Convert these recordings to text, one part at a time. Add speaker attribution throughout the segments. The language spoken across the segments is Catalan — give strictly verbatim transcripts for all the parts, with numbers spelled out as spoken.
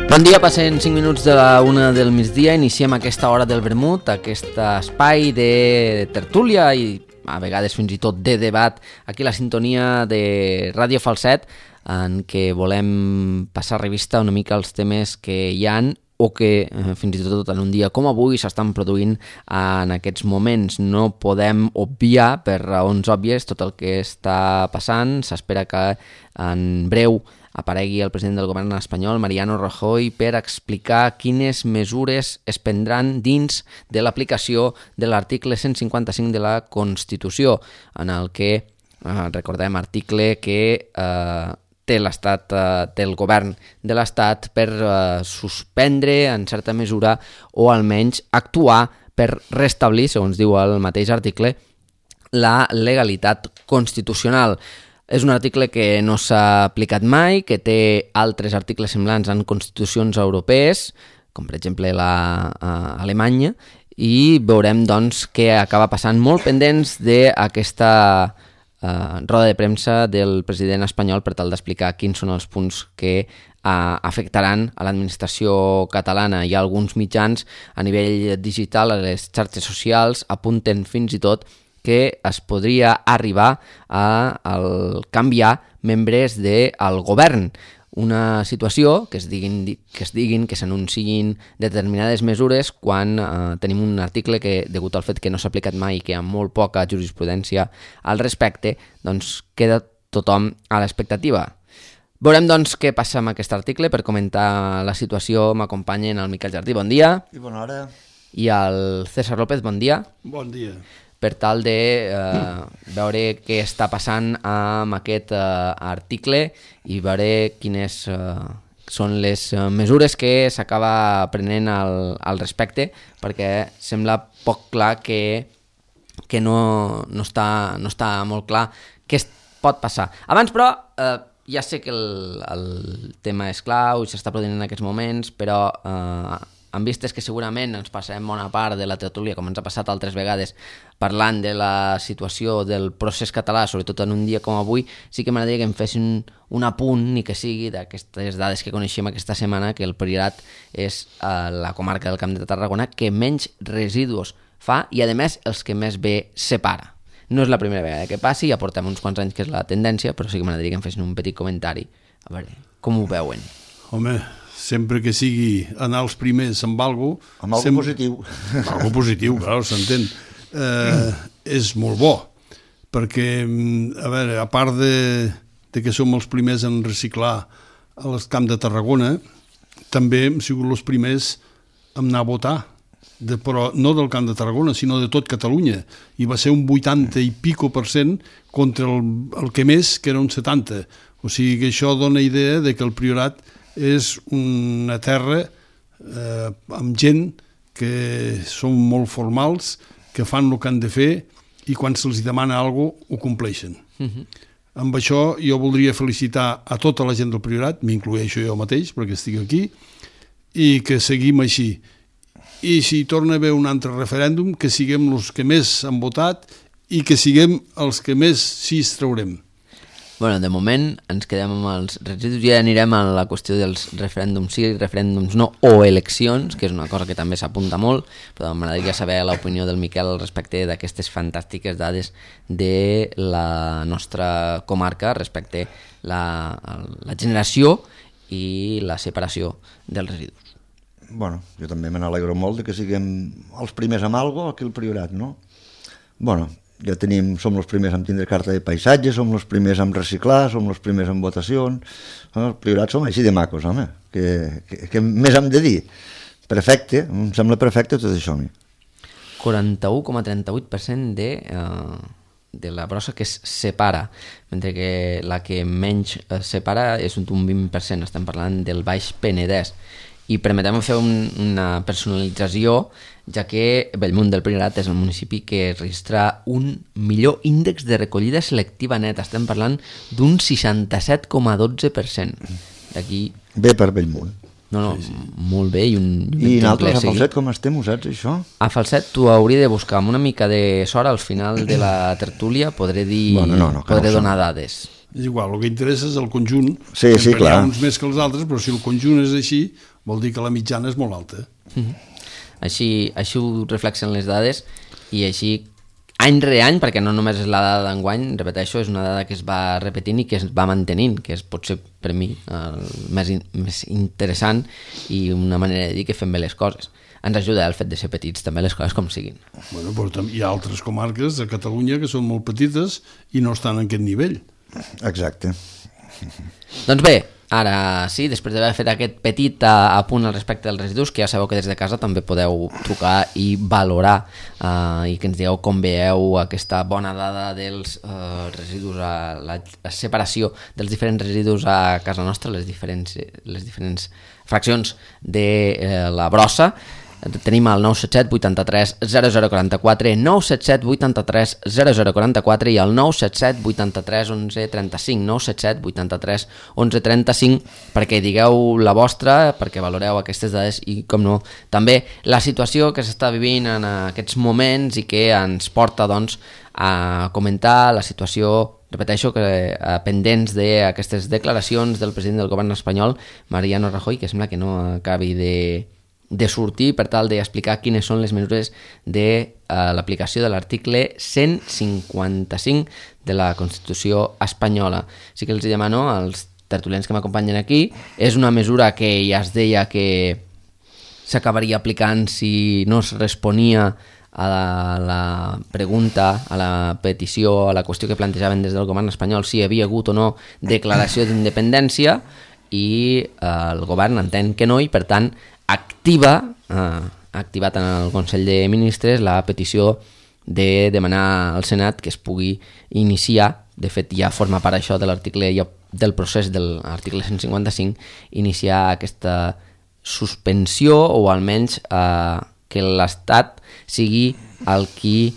Speaker 1: Bon dia, passen cinc minuts de la una del migdia, iniciem aquesta hora del vermut, aquest espai de tertúlia i a vegades fins i tot de debat, aquí la sintonia de Ràdio Falset, en què volem passar revista una mica als temes que hi han o que eh, fins i tot en un dia com avui s'estan produint en aquests moments. No podem obviar, per raons òbvies, tot el que està passant. S'espera que en breu aparegui el president del govern espanyol, Mariano Rajoy, per explicar quines mesures es prendran dins de l'aplicació de l'article cent cinquanta-cinc de la Constitució, en el que, eh, recordem, article que eh, té l'estat, eh, té el govern de l'estat per eh, suspendre en certa mesura o almenys actuar per restablir, segons diu el mateix article, la legalitat constitucional. És un article que no s'ha aplicat mai, que té altres articles semblants en constitucions europees, com per exemple la uh, Alemanya, i veurem doncs què acaba passant, molt pendents d'aquesta uh, roda de premsa del president espanyol per tal d'explicar quins són els punts que uh, afectaran a l'administració catalana. Hi ha alguns mitjans a nivell digital, a les xarxes socials, apunten fins i tot que es podria arribar a, a canviar membres del govern. Una situació que es diguin que es diguin, que s'anunciïn determinades mesures quan eh, tenim un article que, degut al fet que no s'ha aplicat mai i que hi ha molt poca jurisprudència al respecte, doncs queda tothom a l'expectativa. Veurem doncs què passa amb aquest article. Per comentar la situació m'acompanyen el Miquel Jardí, bon dia.
Speaker 2: I bona hora.
Speaker 1: I el César López, bon dia.
Speaker 3: Bon dia.
Speaker 1: Per tal de eh, veure què està passant amb aquest eh, article i veure quines eh, són les eh, mesures que s'acaba prenent al, al respecte, perquè sembla poc clar que, que no, no, està, no està molt clar què es pot passar. Abans, però, eh, ja sé que el, el tema és clau i s'està produint en aquests moments, però eh, en vistes que segurament ens passarem bona part de la tertúlia, com ens ha passat altres vegades, parlant de la situació del procés català, sobretot en un dia com avui, sí que m'agradaria que em fessin un, un apunt, ni que sigui d'aquestes dades que coneixem aquesta setmana, que el Priorat és eh, la comarca del Camp de Tarragona que menys residus fa i, a més, els que més bé separa. No és la primera vegada que passi, ja portem uns quants anys que és la tendència, però sí que m'agradaria que em fessin un petit comentari. A veure, com ho veuen?
Speaker 3: Home, sempre que sigui anar els primers amb alguna cosa...
Speaker 2: Amb alguna
Speaker 3: sempre...
Speaker 2: positiu.
Speaker 3: Amb alguna positiu, clar, s'entén. Eh, és molt bo, perquè, a veure, a part de, de que som els primers en reciclar al Camp de Tarragona, també hem sigut els primers en anar a votar, de, però no del Camp de Tarragona, sinó de tot Catalunya, i va ser un vuitanta i pico per cent contra el, el que més, que era un setanta. O sigui que això dona idea de que el Priorat és una terra eh, amb gent que són molt formals, que fan el que han de fer i quan se'ls demana alguna cosa ho compleixen. Uh-huh. Amb això jo voldria felicitar a tota la gent del Priorat, m'incloeixo jo mateix perquè estic aquí, i que seguim així. I si torna a haver un altre referèndum, que siguem els que més han votat i que siguem els que més sí es traurem.
Speaker 1: Bueno, de moment ens quedem amb els residus i ja anirem a la qüestió dels referèndums sí, referèndums no o eleccions, que és una cosa que també s'apunta molt, però m'agradaria saber l'opinió del Miquel al respecte d'aquestes fantàstiques dades de la nostra comarca respecte la, la generació i la separació dels residus.
Speaker 2: Bueno, jo també me n'alegro molt de que siguem els primers amb alguna cosa aquí al Priorat, no? Bueno, ja tenim, som els primers en tindre carta de paisatge, som els primers en reciclar, som els primers en votacions. Els Priorats som així de macos, home. Que, que, que més hem de dir? Perfecte, em sembla perfecte tot això a mi.
Speaker 1: quaranta-u coma trenta-vuit per cent de, uh, de la brossa que es separa, mentre que la que menys separa és un vint per cent, estem parlant del Baix Penedès. I permetem fer un, una personalització, ja que Bellmunt del Priorat és el municipi que registra un millor índex de recollida selectiva neta. Estem parlant d'un seixanta-set coma dotze per cent. D'aquí...
Speaker 2: Bé per Bellmunt.
Speaker 1: No, no, sí, sí. Molt bé. I, un, un
Speaker 2: I nosaltres a Falset com estem, ho saps, això?
Speaker 1: A Falset tu hauria de buscar amb una mica de sort al final de la tertúlia, podré dir, bueno, no, no, podré no donar dades.
Speaker 3: És igual, el que interessa és el conjunt.
Speaker 2: Sí, sí, clar.
Speaker 3: Hi ha uns més que els altres, però si el conjunt és així, vol dir que la mitjana és molt alta.
Speaker 1: Mm-hmm. Així, així ho reflexen les dades i així any re any, perquè no només és la dada d'enguany, repeteixo, és una dada que es va repetint i que es va mantenint, que és potser per mi el més, in, més interessant i una manera de dir que fem bé les coses. Ens ajuda el fet de ser petits, també les coses com siguin.
Speaker 3: Bueno, però hi ha altres comarques de Catalunya que són molt petites i no estan en aquest nivell.
Speaker 2: Exacte.
Speaker 1: Doncs bé, ara sí, després d'haver fet aquest petit apunt al respecte dels residus, que ja sabeu que des de casa també podeu trucar i valorar eh, i que ens digueu com veieu aquesta bona dada dels eh, residus, a la, la separació dels diferents residus a casa nostra, les diferents, les diferents fraccions de eh, la brossa. Tenim el nou set set vuitanta-tres zero zero quaranta-quatre, nou set set vuitanta-tres zero zero quaranta-quatre i el nou set set vuitanta-tres onze trenta-cinc, nou set set vuitanta-tres onze trenta-cinc, perquè digueu la vostra, perquè valoreu aquestes dades i, com no, també la situació que s'està vivint en aquests moments i que ens porta, doncs, a comentar la situació, repeteixo, que eh, pendents d'aquestes declaracions del president del govern espanyol, Mariano Rajoy, que sembla que no acabi de... de sortir per tal d'explicar quines són les mesures de uh, l'aplicació de l'article cent cinquanta-cinc de la Constitució espanyola. Sí que els demano als tertulians que m'acompanyen aquí, és una mesura que ja es deia que s'acabaria aplicant si no es responia a la, la pregunta, a la petició, a la qüestió que plantejaven des del govern espanyol, si hi havia hagut o no declaració d'independència, i eh, el govern entén que no i, per tant, activa, eh, ha activat en el Consell de Ministres la petició de demanar al Senat que es pugui iniciar, de fet ja forma part això de l'article, del procés de l'article cent cinquanta-cinc, iniciar aquesta suspensió o almenys eh, que l'Estat sigui el qui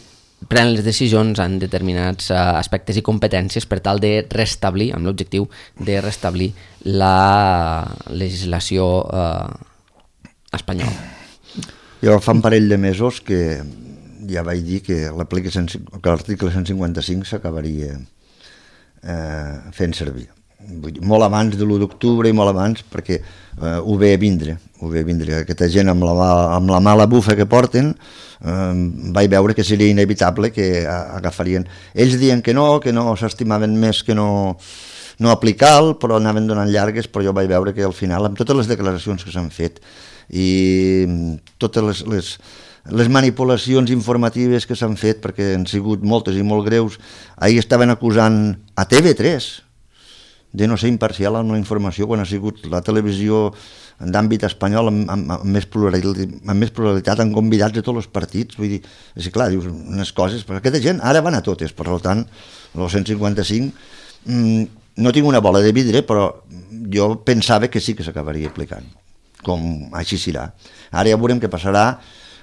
Speaker 1: pren les decisions en determinats uh, aspectes i competències per tal de restablir, amb l'objectiu de restablir la legislació uh, espanyola.
Speaker 2: Jo fa un parell de mesos que ja vaig dir que l'article cent cinquanta-cinc s'acabaria eh, fent servir. Vull dir, molt abans de l'u d'octubre i molt abans, perquè eh, ho ve a vindre, ho ve a vindre. Aquesta gent amb la, amb la mala bufa que porten, eh, vaig veure que seria inevitable que agafarien. Ells diuen que no, que no s'estimaven més que no, no aplicar-lo, però anaven donant llargues, però jo vaig veure que al final, amb totes les declaracions que s'han fet i totes les, les, les manipulacions informatives que s'han fet, perquè han sigut moltes i molt greus, ahir estaven acusant a T V tres de no ser imparcial amb la informació quan ha sigut la televisió d'àmbit espanyol amb, amb, amb, més pluralitat, amb més pluralitat, amb convidats de tots els partits. Vull dir, és clar, dius unes coses, però aquesta gent ara van a totes, per tant, el cent cinquanta-cinc, mmm, no tinc una bola de vidre, però jo pensava que sí que s'acabaria aplicant, com així serà. Ara ja veurem què passarà.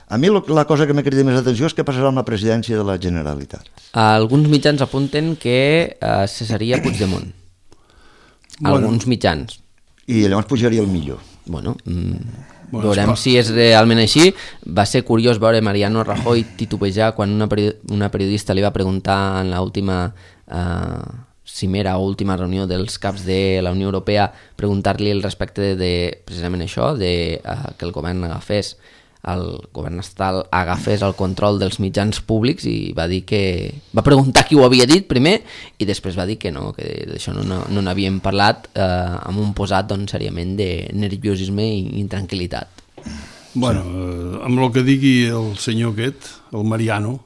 Speaker 2: A mi la cosa que m'ha cridat més atenció és què passarà amb la presidència de la Generalitat.
Speaker 1: Alguns mitjans apunten que eh, cessaria Puigdemont. Bueno, alguns mitjans.
Speaker 2: I llavors pujaria el millor.
Speaker 1: Bueno, mm, bueno veurem si és realment així. Va ser curiós veure Mariano Rajoy titubejar quan una, period una periodista li va preguntar en l'última eh, cimera o última reunió dels caps de la Unió Europea, preguntar-li al respecte de, precisament això, de eh, que el govern agafés el govern estatal agafés el control dels mitjans públics, i va dir que va preguntar qui ho havia dit primer i després va dir que no, que d'això no, no, no n'havíem parlat, eh, amb un posat, doncs, seriament de nerviosisme i intranquil·litat.
Speaker 3: Bueno, eh, amb el que digui el senyor aquest, el Mariano,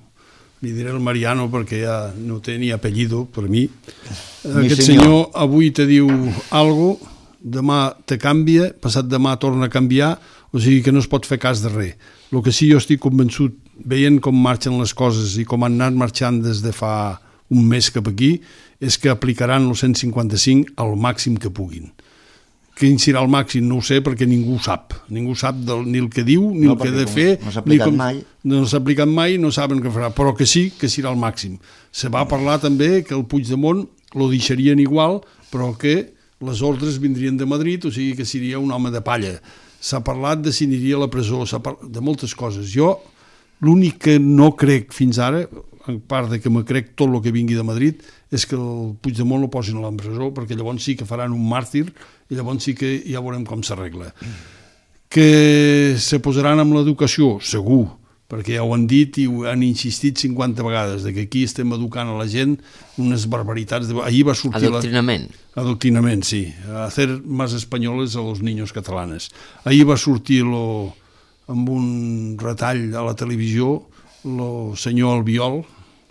Speaker 3: li diré el Mariano perquè ja no té ni apellido per mi, mi aquest senyor. senyor avui te diu algo, demà te canvia, passat demà torna a canviar, o sigui que no es pot fer cas de res. El que sí jo estic convençut, veient com marxen les coses i com han anat marxant des de fa un mes cap aquí, és que aplicaran el cent cinquanta-cinc al màxim que puguin. Quin serà el màxim no ho sé, perquè ningú sap. Ningú sap del, ni el que diu, ni no, el que ha de fer.
Speaker 2: No s'ha aplicat
Speaker 3: com,
Speaker 2: mai.
Speaker 3: No s'ha aplicat mai, no saben què farà, però que sí, que serà el màxim. Se va parlar també que el Puigdemont lo deixarien igual, però que les ordres vindrien de Madrid, o sigui que seria un home de palla. S'ha parlat de si aniria a la presó, s'ha parlat de moltes coses. Jo l'únic que no crec fins ara, en part de que me crec tot el que vingui de Madrid, és que el Puigdemont lo posin a l'empresó, perquè llavors sí que faran un màrtir i llavors sí que ja veurem com s'arregla. Que se posaran amb l'educació, segur, perquè ja ho han dit i ho han insistit cinquanta vegades, de que aquí estem educant a la gent unes barbaritats. De... Ahir va sortir
Speaker 1: Adoctrinament.
Speaker 3: La... Adoctrinament, sí. Hacer más españoles a los niños catalanes. Ahir va sortir lo... amb un retall a la televisió el senyor Albiol,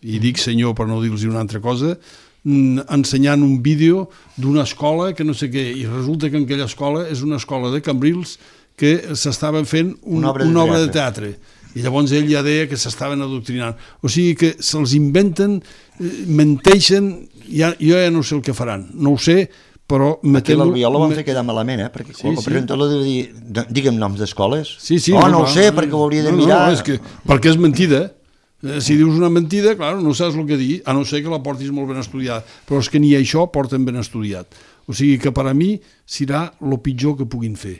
Speaker 3: i dic senyor per no dir-los una altra cosa, ensenyant un vídeo d'una escola que no sé què, i resulta que en aquella escola és una escola de Cambrils que s'estaven fent un, una, obra una obra de teatre. I llavors ell ja deia que s'estaven adoctrinant. O sigui que se'ls inventen, menteixen, ja, jo ja no sé el que faran, no ho sé, però...
Speaker 2: Aquí l'Albiol ho van fer quedar malament, eh? Perquè sí, el presentador deu dir, digue'm noms d'escoles.
Speaker 3: Sí, sí.
Speaker 2: Oh, no, no ho sé, perquè ho hauria de
Speaker 3: no,
Speaker 2: mirar.
Speaker 3: No, és que, perquè és mentida. Si dius una mentida, clar, no saps el que dir, a no ser que la portis molt ben estudiada. Però és que ni això porten ben estudiat. O sigui que per a mi serà el pitjor que puguin fer.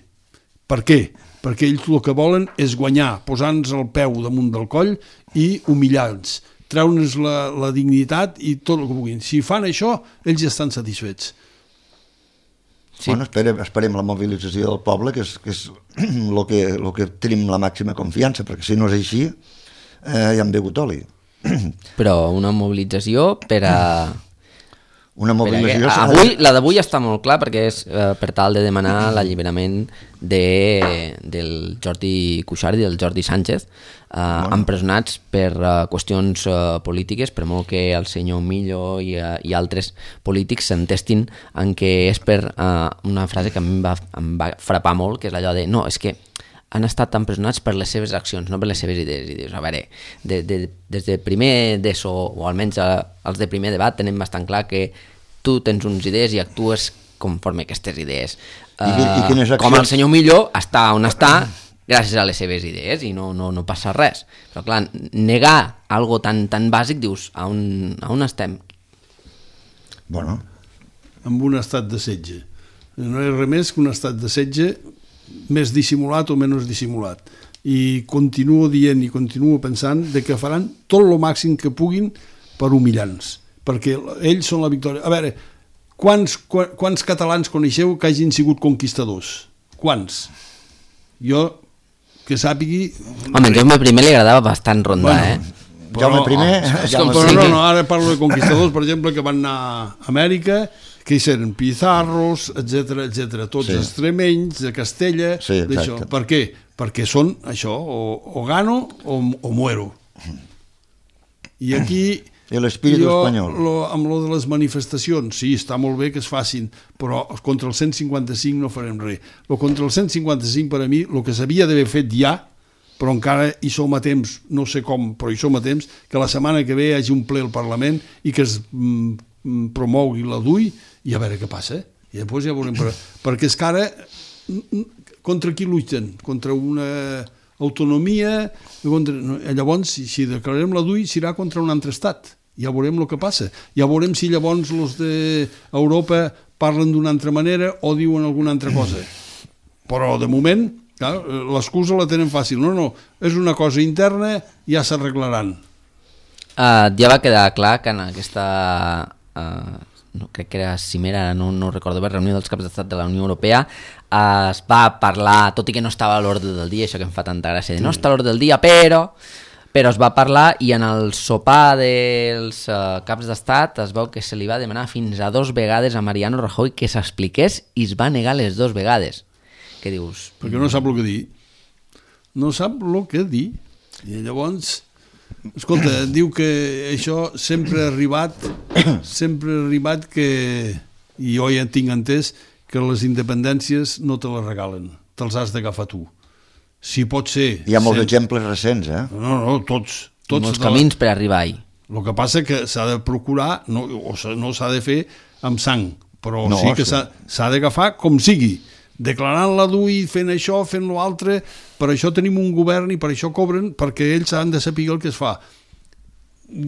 Speaker 3: Per què? Perquè ells el que volen és guanyar, posant-nos el peu damunt del coll i humillar-nos, treure'ns la, la dignitat i tot el que puguin. Si fan això, ells ja estan satisfets.
Speaker 2: Sí. Bueno, esperem, esperem la mobilització del poble, que és, que és el que, el que tenim la màxima confiança, perquè si no és així, eh, ja hem begut oli.
Speaker 1: Però una mobilització per a...
Speaker 2: Una mobilització...
Speaker 1: Avui, la d'avui està molt clar, perquè és eh, per tal de demanar l'alliberament de, del Jordi Cuixart i del Jordi Sánchez, eh, bueno. empresonats per eh, qüestions eh, polítiques, per molt que el senyor Millo i, eh, i altres polítics s'entestin en què és per eh, una frase que a mi em va, em va frapar molt, que és allò de no, és que han estat empresonats per les seves accions, no per les seves idees. I dius, a veure, de, de, des de primer d'ESO, o almenys els de primer debat, tenim bastant clar que tu tens uns idees i actues conforme aquestes idees.
Speaker 2: I, uh, i quines accions?
Speaker 1: Com el senyor Millo està on està gràcies a les seves idees i no, no, no passa res. Però clar, negar algo tan, tan bàsic, dius, a on, a on estem?
Speaker 2: Bueno.
Speaker 3: Amb un estat de setge. No és res més que un estat de setge més dissimulat o menys dissimulat, i continuo dient i continuo pensant de que faran tot el màxim que puguin per humillar-nos, perquè ells són la victòria. A veure, quants, quants catalans coneixeu que hagin sigut conquistadors? Quants? Jo, que sàpigui...
Speaker 1: Home, Jaume primer li agradava bastant rondar, bueno, eh?
Speaker 2: Però, Jaume primer... Oh,
Speaker 3: Jaume però no, no, ara parlo de conquistadors, per exemple, que van anar a Amèrica, que hi eren Pizarros, etcètera, etcètera, tots sí. extremenys, de Castella,
Speaker 2: sí,
Speaker 3: d'això. Per què? Perquè són això, o, o gano o, o muero. I aquí...
Speaker 2: I l'espíritu espanyol.
Speaker 3: Lo, amb lo de les manifestacions, sí, està molt bé que es facin, però contra el cent cinquanta-cinc no farem res. Lo contra el cent cinquanta-cinc, per a mi, el que s'havia d'haver fet ja, però encara hi som a temps, no sé com, però hi som a temps, que la setmana que ve hi hagi un ple al Parlament i que es mm, promogui la D U I i a veure què passa. I després ja veurem. Per... perquè és que ara contra qui lluiten? Contra una autonomia? Contra... Llavors, si, si declarem la D U I, serà contra un altre estat. Ja veurem el que passa. Ja veurem si llavors els d'Europa parlen d'una altra manera o diuen alguna altra cosa. Però, de moment, l'excusa la tenen fàcil. No, no, és una cosa interna, ja s'arreglaran.
Speaker 1: Uh, ja va quedar clar que en aquesta... Uh... no, crec que era cimera, no, no recordo bé, reunió dels caps d'estat de la Unió Europea, eh, es va parlar, tot i que no estava a l'ordre del dia, això que em fa tanta gràcia, de no està a l'ordre del dia, però però es va parlar, i en el sopar dels eh, caps d'estat es veu que se li va demanar fins a dos vegades a Mariano Rajoy que s'expliqués i es va negar les dues vegades. Què dius?
Speaker 3: Perquè no sap el que dir. No sap el que dir. I llavors... Escolta, diu que això sempre ha arribat, sempre ha arribat que, i jo ja tinc entès, que les independències no te les regalen, te'ls has d'agafar tu. Si pot ser...
Speaker 2: Hi ha molts sent... exemples recents, eh?
Speaker 3: No, no, tots. tots
Speaker 1: molts camins la... per arribar-hi.
Speaker 3: El que passa que s'ha de procurar, no, o no s'ha de fer amb sang, però no, sí que s'ha, s'ha d'agafar com sigui. Declarant la D U I, fent això, fent l'altre, per això tenim un govern i per això cobren, perquè ells han de saber el que es fa.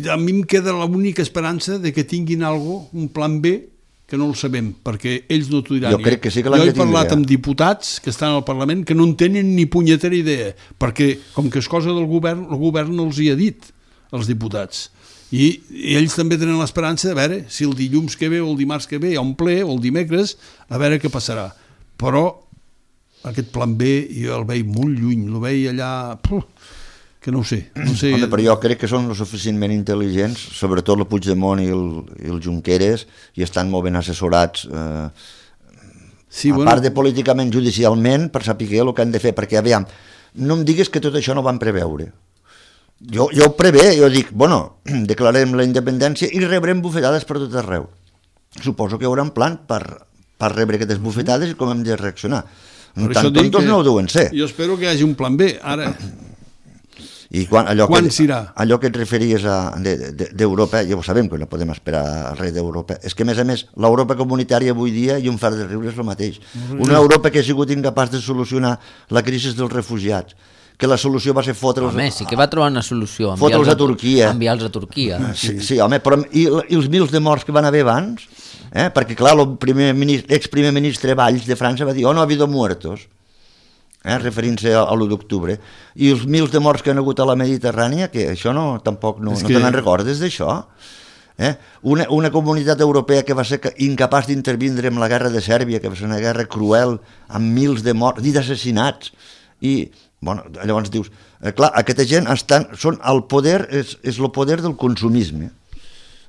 Speaker 3: A mi em queda l'única esperança de que tinguin algo, un plan B, que no el sabem, perquè ells no t'ho diran.
Speaker 2: Jo crec que sí que l'han
Speaker 3: de
Speaker 2: tindre.
Speaker 3: Jo he parlat amb diputats que estan al Parlament que no en tenen ni punyetera idea, perquè com que és cosa del govern, el govern no els hi ha dit, els diputats. I, i ells també tenen l'esperança de veure si el dilluns que ve o el dimarts que ve hi ha un ple, o el dimecres, a veure què passarà. Però aquest plan B jo el veig molt lluny, el veig allà... Puf, que no ho sé. No sé.
Speaker 2: Home, però jo crec que són lo suficientment intel·ligents, sobretot el Puigdemont i el, i el Junqueras, i estan molt ben assessorats, eh,
Speaker 3: sí,
Speaker 2: a
Speaker 3: bueno.
Speaker 2: part de políticament, judicialment, per saber el que han de fer, perquè, aviam, no em diguis que tot això no van preveure. Jo, jo ho prevé, jo dic, bueno, declarem la independència i rebrem bufetades per tot arreu. Suposo que hi haurà un plan per, per rebre aquestes bufetades i com hem de reaccionar.
Speaker 3: Per
Speaker 2: Tan tontos no ho deuen ser.
Speaker 3: Jo espero que hi hagi un plan B, ara...
Speaker 2: I quan, allò
Speaker 3: quan
Speaker 2: que,
Speaker 3: s'irà?
Speaker 2: Allò que et referies d'Europa, de, de, ja ho sabem que no podem esperar res d'Europa, és que a més a més l'Europa comunitària avui dia, i un far de riure, és el mateix. Una Europa que ha sigut incapaç de solucionar la crisi dels refugiats, que la solució va ser fotre'ls...
Speaker 1: Home, sí que va trobar una solució.
Speaker 2: Fotre'ls a Turquia.
Speaker 1: Enviar-los a Turquia.
Speaker 2: Sí, sí, home, però i, i els mils de morts que van haver abans? Eh? Perquè, clar, l'ex-primer ministre Valls de França va dir, oh, no ha habido muertos, eh? referint-se a, a l'u d'octubre. I els mils de morts que han hagut a la Mediterrània, que això no, tampoc no, no que... te n'en recordes d'això? Eh? Una, una comunitat europea que va ser incapaç d'intervindre en la guerra de Sèrbia, que va ser una guerra cruel, amb mils de morts i d'assassinats. I, bueno, llavors dius, eh, clar, aquesta gent estan, són el poder, és, és el poder del consumisme.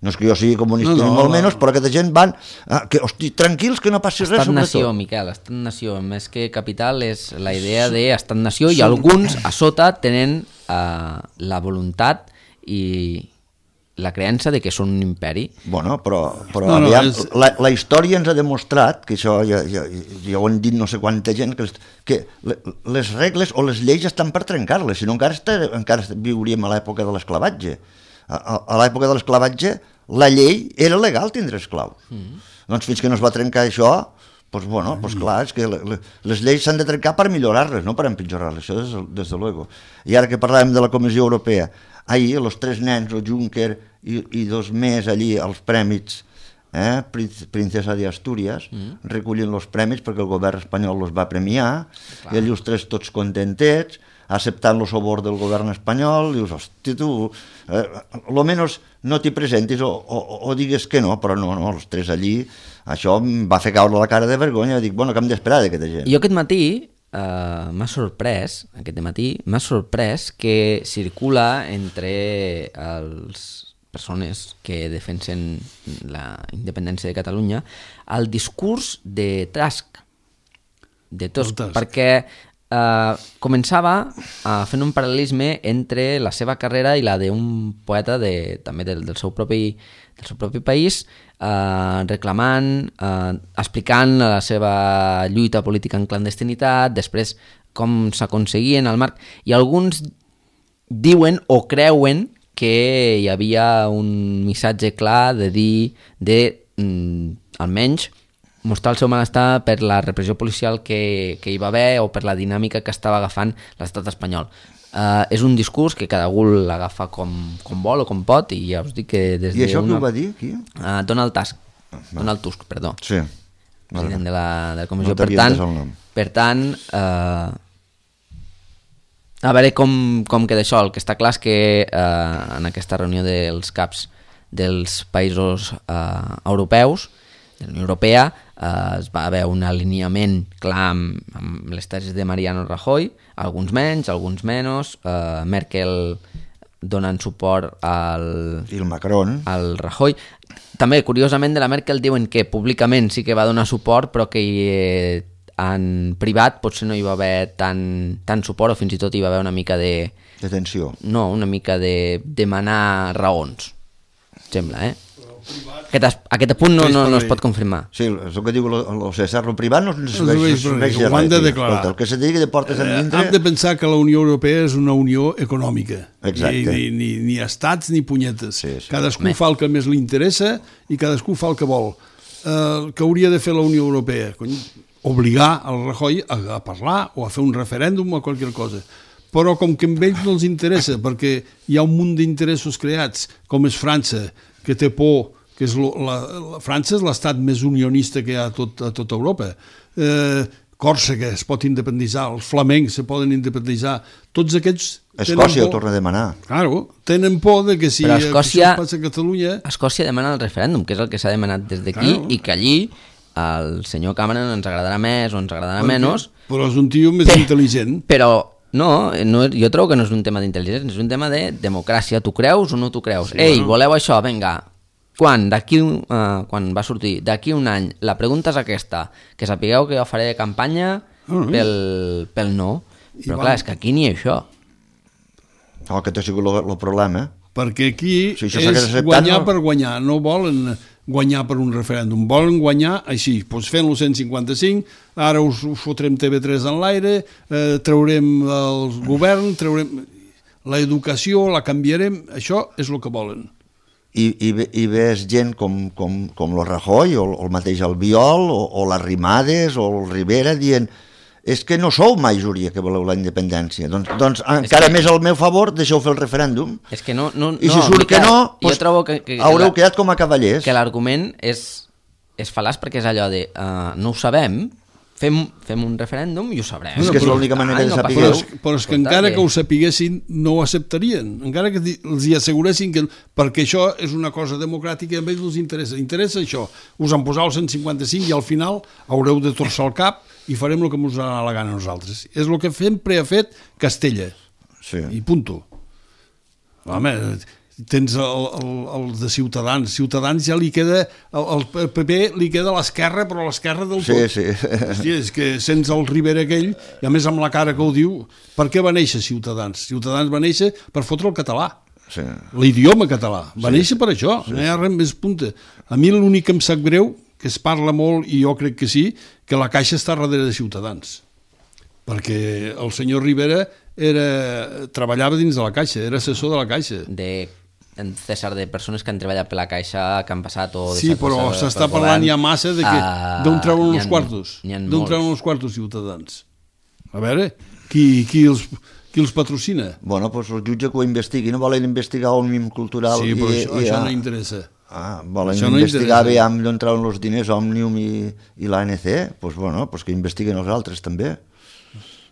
Speaker 2: No és que jo sigui comunista no, no, ni molt no, menys, però aquesta gent van, eh, que, hosti, tranquils que no passi res sobre
Speaker 1: Estat-nació,
Speaker 2: tot.
Speaker 1: Miquel, estat-nació, més que capital és la idea d'estat-nació i alguns a sota tenen eh, la voluntat i la creença de que són un imperi.
Speaker 2: Bueno, però, però
Speaker 3: no, no,
Speaker 2: aviam,
Speaker 3: és...
Speaker 2: la, la història ens ha demostrat, que això ja, ja, ja ho han dit no sé quanta gent, que, que les regles o les lleis estan per trencar-les, si no encara, està, encara viuríem a l'època de l'esclavatge. A, a, a l'època de l'esclavatge la llei era legal tindre esclaus. Mm. Doncs fins que no es va trencar això, doncs, bueno, doncs clar, és que les lleis s'han de trencar per millorar-les, no per empitjorar-les, això des, des de luego. I ara que parlàvem de la Comissió Europea, ahir els tres nens, el Juncker i, i dos més allí, els prèmits, eh, Princesa de Astúries, mm. recullen els prèmits perquè el govern espanyol els va premiar, clar. I allí els tres tots contentets, acceptant el sobor del govern espanyol, dius, hosti, tu, eh, almenys no t'hi presentis o, o, o digues que no, però no, no, els tres allí, això em va fer caure la cara de vergonya, dic, bueno, que hem d'esperar d'aquesta gent.
Speaker 1: Jo aquest matí uh, m'ha sorprès, aquest matí m'ha sorprès que circula entre els persones que defensen la independència de Catalunya el discurs de Tusk, de Tusk, Tusk. perquè Uh, començava uh, fent un paral·lelisme entre la seva carrera i la d'un poeta de, també del, del, seu propi, del seu propi país, uh, reclamant, uh, explicant la seva lluita política en clandestinitat, després com s'aconseguien al marc, i alguns diuen o creuen que hi havia un missatge clar de dir, de mm, almenys mostrar el seu malestar per la repressió policial que, que hi va haver o per la dinàmica que estava agafant l'estat espanyol. Uh, és un discurs que cada algú l'agafa com, com vol o com pot, i ja us dic que des
Speaker 2: I això
Speaker 1: una...
Speaker 2: qui ho va dir, qui?
Speaker 1: Uh, Donald Tusk, ah, Donald Tusk, perdó.
Speaker 2: Sí.
Speaker 1: President de la, de la comissió.
Speaker 2: No
Speaker 1: per tant, per tant uh, a veure com, com queda això. El que està clar és que uh, en aquesta reunió dels caps dels països uh, europeus, de la Unió Europea, eh, es va haver un alineament clar amb, amb les tesis de Mariano Rajoy, alguns menys, alguns menys, eh, Merkel donant suport al,
Speaker 2: I el Macron.
Speaker 1: al Rajoy. També, curiosament, de la Merkel diuen que públicament sí que va donar suport, però que eh, en privat potser no hi va haver tant, tant suport, o fins i tot hi va haver una mica de...
Speaker 2: De tensió.
Speaker 1: No, una mica de demanar raons, sembla, eh? Aquest, aquest punt no, no, no es pot confirmar.
Speaker 2: Sí, és el que diu el César, el privat no es serveix de res.
Speaker 3: Ho han de declarar.
Speaker 2: El que se digui de portes endintre...
Speaker 3: Hem de pensar que la Unió Europea és una unió econòmica.
Speaker 2: Exacte.
Speaker 3: Ni, ni, ni estats ni punyetes.
Speaker 2: Sí, sí.
Speaker 3: Cadascú Me. fa el que més li interessa i cadascú fa el que vol. El que hauria de fer la Unió Europea? Cony, obligar el Rajoy a, a parlar o a fer un referèndum o qualsevol cosa. Però com que a ells no els interessa, perquè hi ha un munt d'interessos creats, com és França, que té por, que és lo, la, la França és l'estat més unionista que hi ha a tot, a tota Europa. Eh, Còrsega es pot independitzar, els flamencs se poden independitzar, tots aquests...
Speaker 2: Escòcia ho torna a demanar.
Speaker 3: Claro, tenen por de que si
Speaker 1: Però Escòcia,
Speaker 3: això passa a Catalunya...
Speaker 1: Escòcia demana el referèndum, que és el que s'ha demanat des d'aquí, claro. I que allí el senyor Cameron ens agradarà més o ens agradarà menys...
Speaker 3: Però és un tio més
Speaker 1: però,
Speaker 3: intel·ligent.
Speaker 1: Però no, no, jo trobo que no és un tema d'intel·ligència, és un tema de democràcia. Tu creus o no tu creus? Sí, Ei, bueno. voleu això? Vinga. Quan, d'aquí, uh, quan va sortir, d'aquí un any, la pregunta és aquesta, que sapigueu que jo faré de campanya uh-huh. pel, pel no. Però I clar, va... és que aquí ni això.
Speaker 2: No, aquest ha sigut el problema.
Speaker 3: Perquè aquí
Speaker 2: si
Speaker 3: és acceptat, guanyar no... per guanyar, no volen guanyar per un referèndum, volen guanyar així, doncs fent-lo cent cinquanta-cinc, ara us, us fotrem T V tres en l'aire, eh, traurem el govern, traurem l'educació, la canviarem, això és el que volen.
Speaker 2: I, i, i ves gent com, com, com el Rajoy o, o el mateix Albiol o, o les Rimades o el Rivera dient és que no sou majoria que voleu la independència. Doncs, doncs encara que... més al meu favor deixeu fer el referèndum.
Speaker 1: És que no, no,
Speaker 2: I si surt que no, doncs
Speaker 1: que, que,
Speaker 2: haureu
Speaker 1: que
Speaker 2: quedat com a cavallers.
Speaker 1: Que l'argument és, és fal·laç perquè és allò de uh, no ho sabem, fem, fem un referèndum i ho sabrem.
Speaker 2: És que és l'única manera de saber.
Speaker 3: Però és, però és que encara que ho sapiguessin no ho acceptarien. Encara que els hi asseguressin que... Perquè això és una cosa democràtica i a ells els interessa. Interessa això. Us en posau el cent cinquanta-cinc i al final haureu de torçar el cap i farem el que ens donarà la gana a nosaltres. És el que sempre ha fet Castella.
Speaker 2: Sí.
Speaker 3: I punto. Home, tens el, el, el de Ciutadans. Ciutadans ja li queda... El, el P P li queda a l'esquerra, però a l'esquerra del
Speaker 2: sí,
Speaker 3: tot.
Speaker 2: Sí, sí.
Speaker 3: Hòstia, és que sents el Rivera aquell, i a més amb la cara que ho diu, per què va néixer Ciutadans? Ciutadans va néixer per fotre el català.
Speaker 2: Sí.
Speaker 3: L'idioma català. Va
Speaker 2: sí.
Speaker 3: néixer per això.
Speaker 2: Sí.
Speaker 3: No hi ha res més punta. A mi l'únic que em sap greu, que es parla molt, i jo crec que sí, que la Caixa està darrere de Ciutadans. Perquè el senyor Rivera era, treballava dins de la Caixa, era assessor de la Caixa.
Speaker 1: De en César, de persones que han treballat per la Caixa, que han passat o...
Speaker 3: Sí, però s'està parlant ja massa de que uh, d'on treuen uns quartos. D'on treuen uns quartos Ciutadans. A veure, qui, qui, els, qui els patrocina?
Speaker 2: Bueno, doncs el jutge que ho investigui, no volen investigar el mim cultural.
Speaker 3: Sí, però
Speaker 2: i,
Speaker 3: això,
Speaker 2: i,
Speaker 3: això
Speaker 2: ah,
Speaker 3: no interessa.
Speaker 2: Ah, volen
Speaker 3: això
Speaker 2: investigar
Speaker 3: no
Speaker 2: bé amb d'on treuen els diners Òmnium i, i l'A N C, doncs bueno, pues que investiguen els altres també.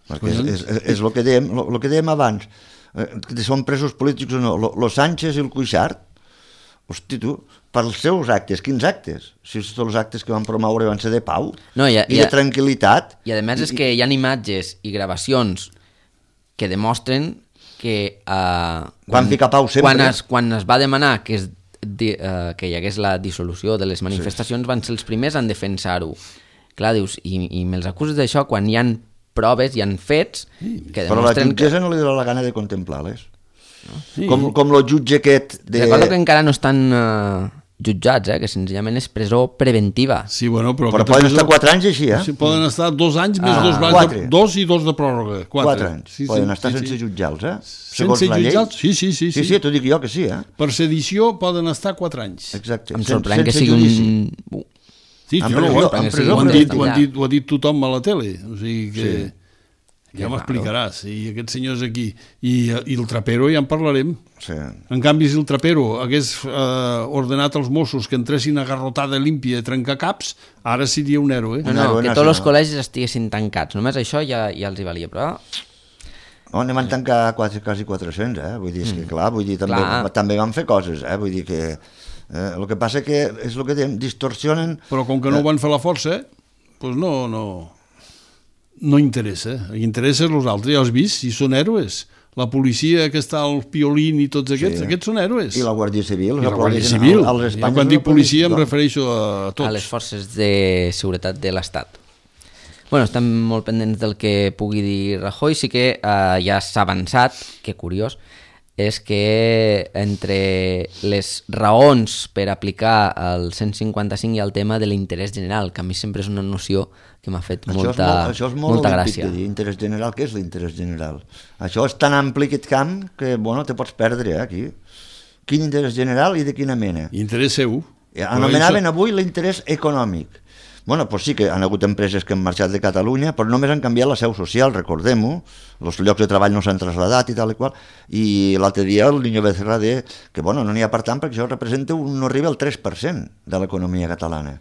Speaker 2: Perquè és, és, és, és el que dèiem, el, el que dèiem abans. Que són presos polítics o no, lo Sánchez i el Cuixart, hosti tu, pels seus actes, quins actes? Si tots els actes que van promoure van ser de pau
Speaker 1: no, i,
Speaker 2: i, i de tranquil·litat.
Speaker 1: I a més és que hi ha imatges i gravacions que demostren que uh,
Speaker 2: quan, pau sempre.
Speaker 1: Quan, es, quan es va demanar que, es, di, uh, que hi hagués la dissolució de les manifestacions, sí. Van ser els primers en defensar-ho. Clar, dius, i, i me'ls acuses d'això quan hi han proves, hi han fets que
Speaker 2: però la
Speaker 1: demostren
Speaker 2: jutgessa
Speaker 1: que...
Speaker 2: no li dona la gana de contemplar-les. No? Sí. Com, com el jutge aquest... De...
Speaker 1: Recordo que encara no estan uh, jutjats, eh? Que senzillament és presó preventiva.
Speaker 3: Sí, bueno, però...
Speaker 2: Però poden presó... estar quatre anys així, eh?
Speaker 3: Sí, poden estar dos anys més ah, dos,
Speaker 2: quatre.
Speaker 3: De, dos i dos de pròrroga. Quatre,
Speaker 2: quatre anys. Sí, poden sí, estar sí, sense sí. jutjar-los, eh?
Speaker 3: Segons sense jutjar-los? Sí, sí, sí.
Speaker 2: Sí, sí, sí t'ho dic jo que sí, eh?
Speaker 3: Per sedició poden estar quatre anys.
Speaker 2: Exacte.
Speaker 1: Em sorprèn que sigui un...
Speaker 3: Sí,
Speaker 2: en
Speaker 3: jo,
Speaker 2: presó,
Speaker 3: ho,
Speaker 2: en presó,
Speaker 3: ho, han dit, ho, han dit, ho ha dit tothom a la tele. O sigui que... Sí. Ja m'explicaràs, i aquests senyors aquí i, i el Trapero ja en parlarem.
Speaker 2: Sí.
Speaker 3: En canvi, si el Trapero hagués eh, ordenat als Mossos que entressin a garrotada límpia a trencar caps, ara seria un héroe.
Speaker 1: No, no, que tots els col·legis estiguessin tancats, només això ja, ja els hi valia, però...
Speaker 2: Oh, anem a tancar quasi, quasi quatre-cents, eh? Vull dir, és que clar, vull dir, també, també van fer coses, eh? Vull dir que... Eh, el que passa que és el que dèiem, distorsionen...
Speaker 3: Però com que no ho van fer la força, doncs no... no... No interessa, interessa els altres, ja els vist, si són héroes. La policia que està al Piolín i tots aquests, sí. Aquests són héroes.
Speaker 2: I la Guàrdia Civil.
Speaker 3: I la Guàrdia Civil. Al, als ja, quan dic policia em refereixo a tots.
Speaker 1: A les forces de seguretat de l'Estat. Bueno, estem molt pendents del que pugui dir Rajoy, sí que eh, ja s'ha avançat, que curiós, és que entre les raons per aplicar el cent cinquanta-cinc hi ha el tema de l'interès general, que a mi sempre és una noció que m'ha fet això molta, molt, això és molt molta gràcia.
Speaker 2: De dir, interès general, què és l'interès general? Això és tan ampli aquest camp que, bueno, te pots perdre, eh, aquí. Quin interès general i de quina mena?
Speaker 3: Interès seu.
Speaker 2: Anomenaven avui l'interès econòmic. Bueno, doncs sí que han hagut empreses que han marxat de Catalunya, però només han canviat la seu social, recordem-ho, els llocs de treball no s'han traslladat i tal i qual, i l'altre dia el Niño Becerra deia que bueno, no n'hi ha per tant perquè això representa un, no arriba al tres per cent de l'economia catalana.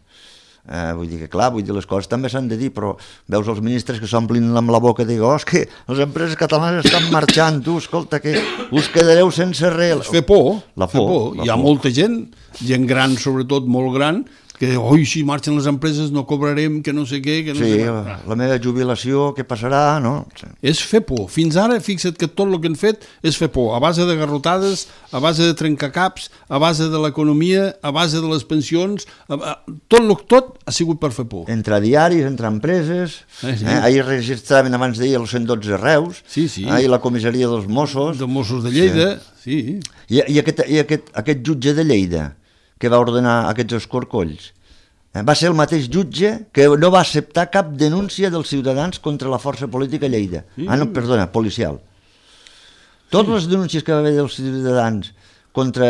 Speaker 2: Eh, vull dir que, clar, vull dir, les coses també s'han de dir, però veus els ministres que s'omplin amb la boca de dir, oh, és que les empreses catalanes estan marxant, tu, escolta, que us quedareu sense res.
Speaker 3: Fer por,
Speaker 2: la
Speaker 3: fer
Speaker 2: por,
Speaker 3: por.
Speaker 2: la
Speaker 3: Hi ha
Speaker 2: por.
Speaker 3: molta gent, gent gran, sobretot molt gran, que oi, si marxen les empreses no cobrarem, que no sé què, que no
Speaker 2: Sí,
Speaker 3: sé què.
Speaker 2: la, la meva jubilació, què passarà, no? Sí.
Speaker 3: És fer por. Fins ara, fixa't que tot el que han fet és fer por, a base de garrotades, a base de trencacaps, a base de l'economia, a base de les pensions, a, a, tot, lo, tot ha sigut per fer por.
Speaker 2: Entre diaris, entre empreses,
Speaker 3: Eh, sí.
Speaker 2: eh, ahir registraven abans d'ahir el cent dotze Reus,
Speaker 3: Sí, sí.
Speaker 2: eh, i la comissaria dels Mossos,
Speaker 3: De Mossos de Lleida, sí.
Speaker 2: i, i, aquest, i aquest, aquest jutge de Lleida, que va ordenar aquests escorcolls, eh, va ser el mateix jutge que no va acceptar cap denúncia dels ciutadans contra la força política a Lleida.
Speaker 3: Sí.
Speaker 2: Ah, no, perdona, policial. Totes les denúncies que va haver dels ciutadans contra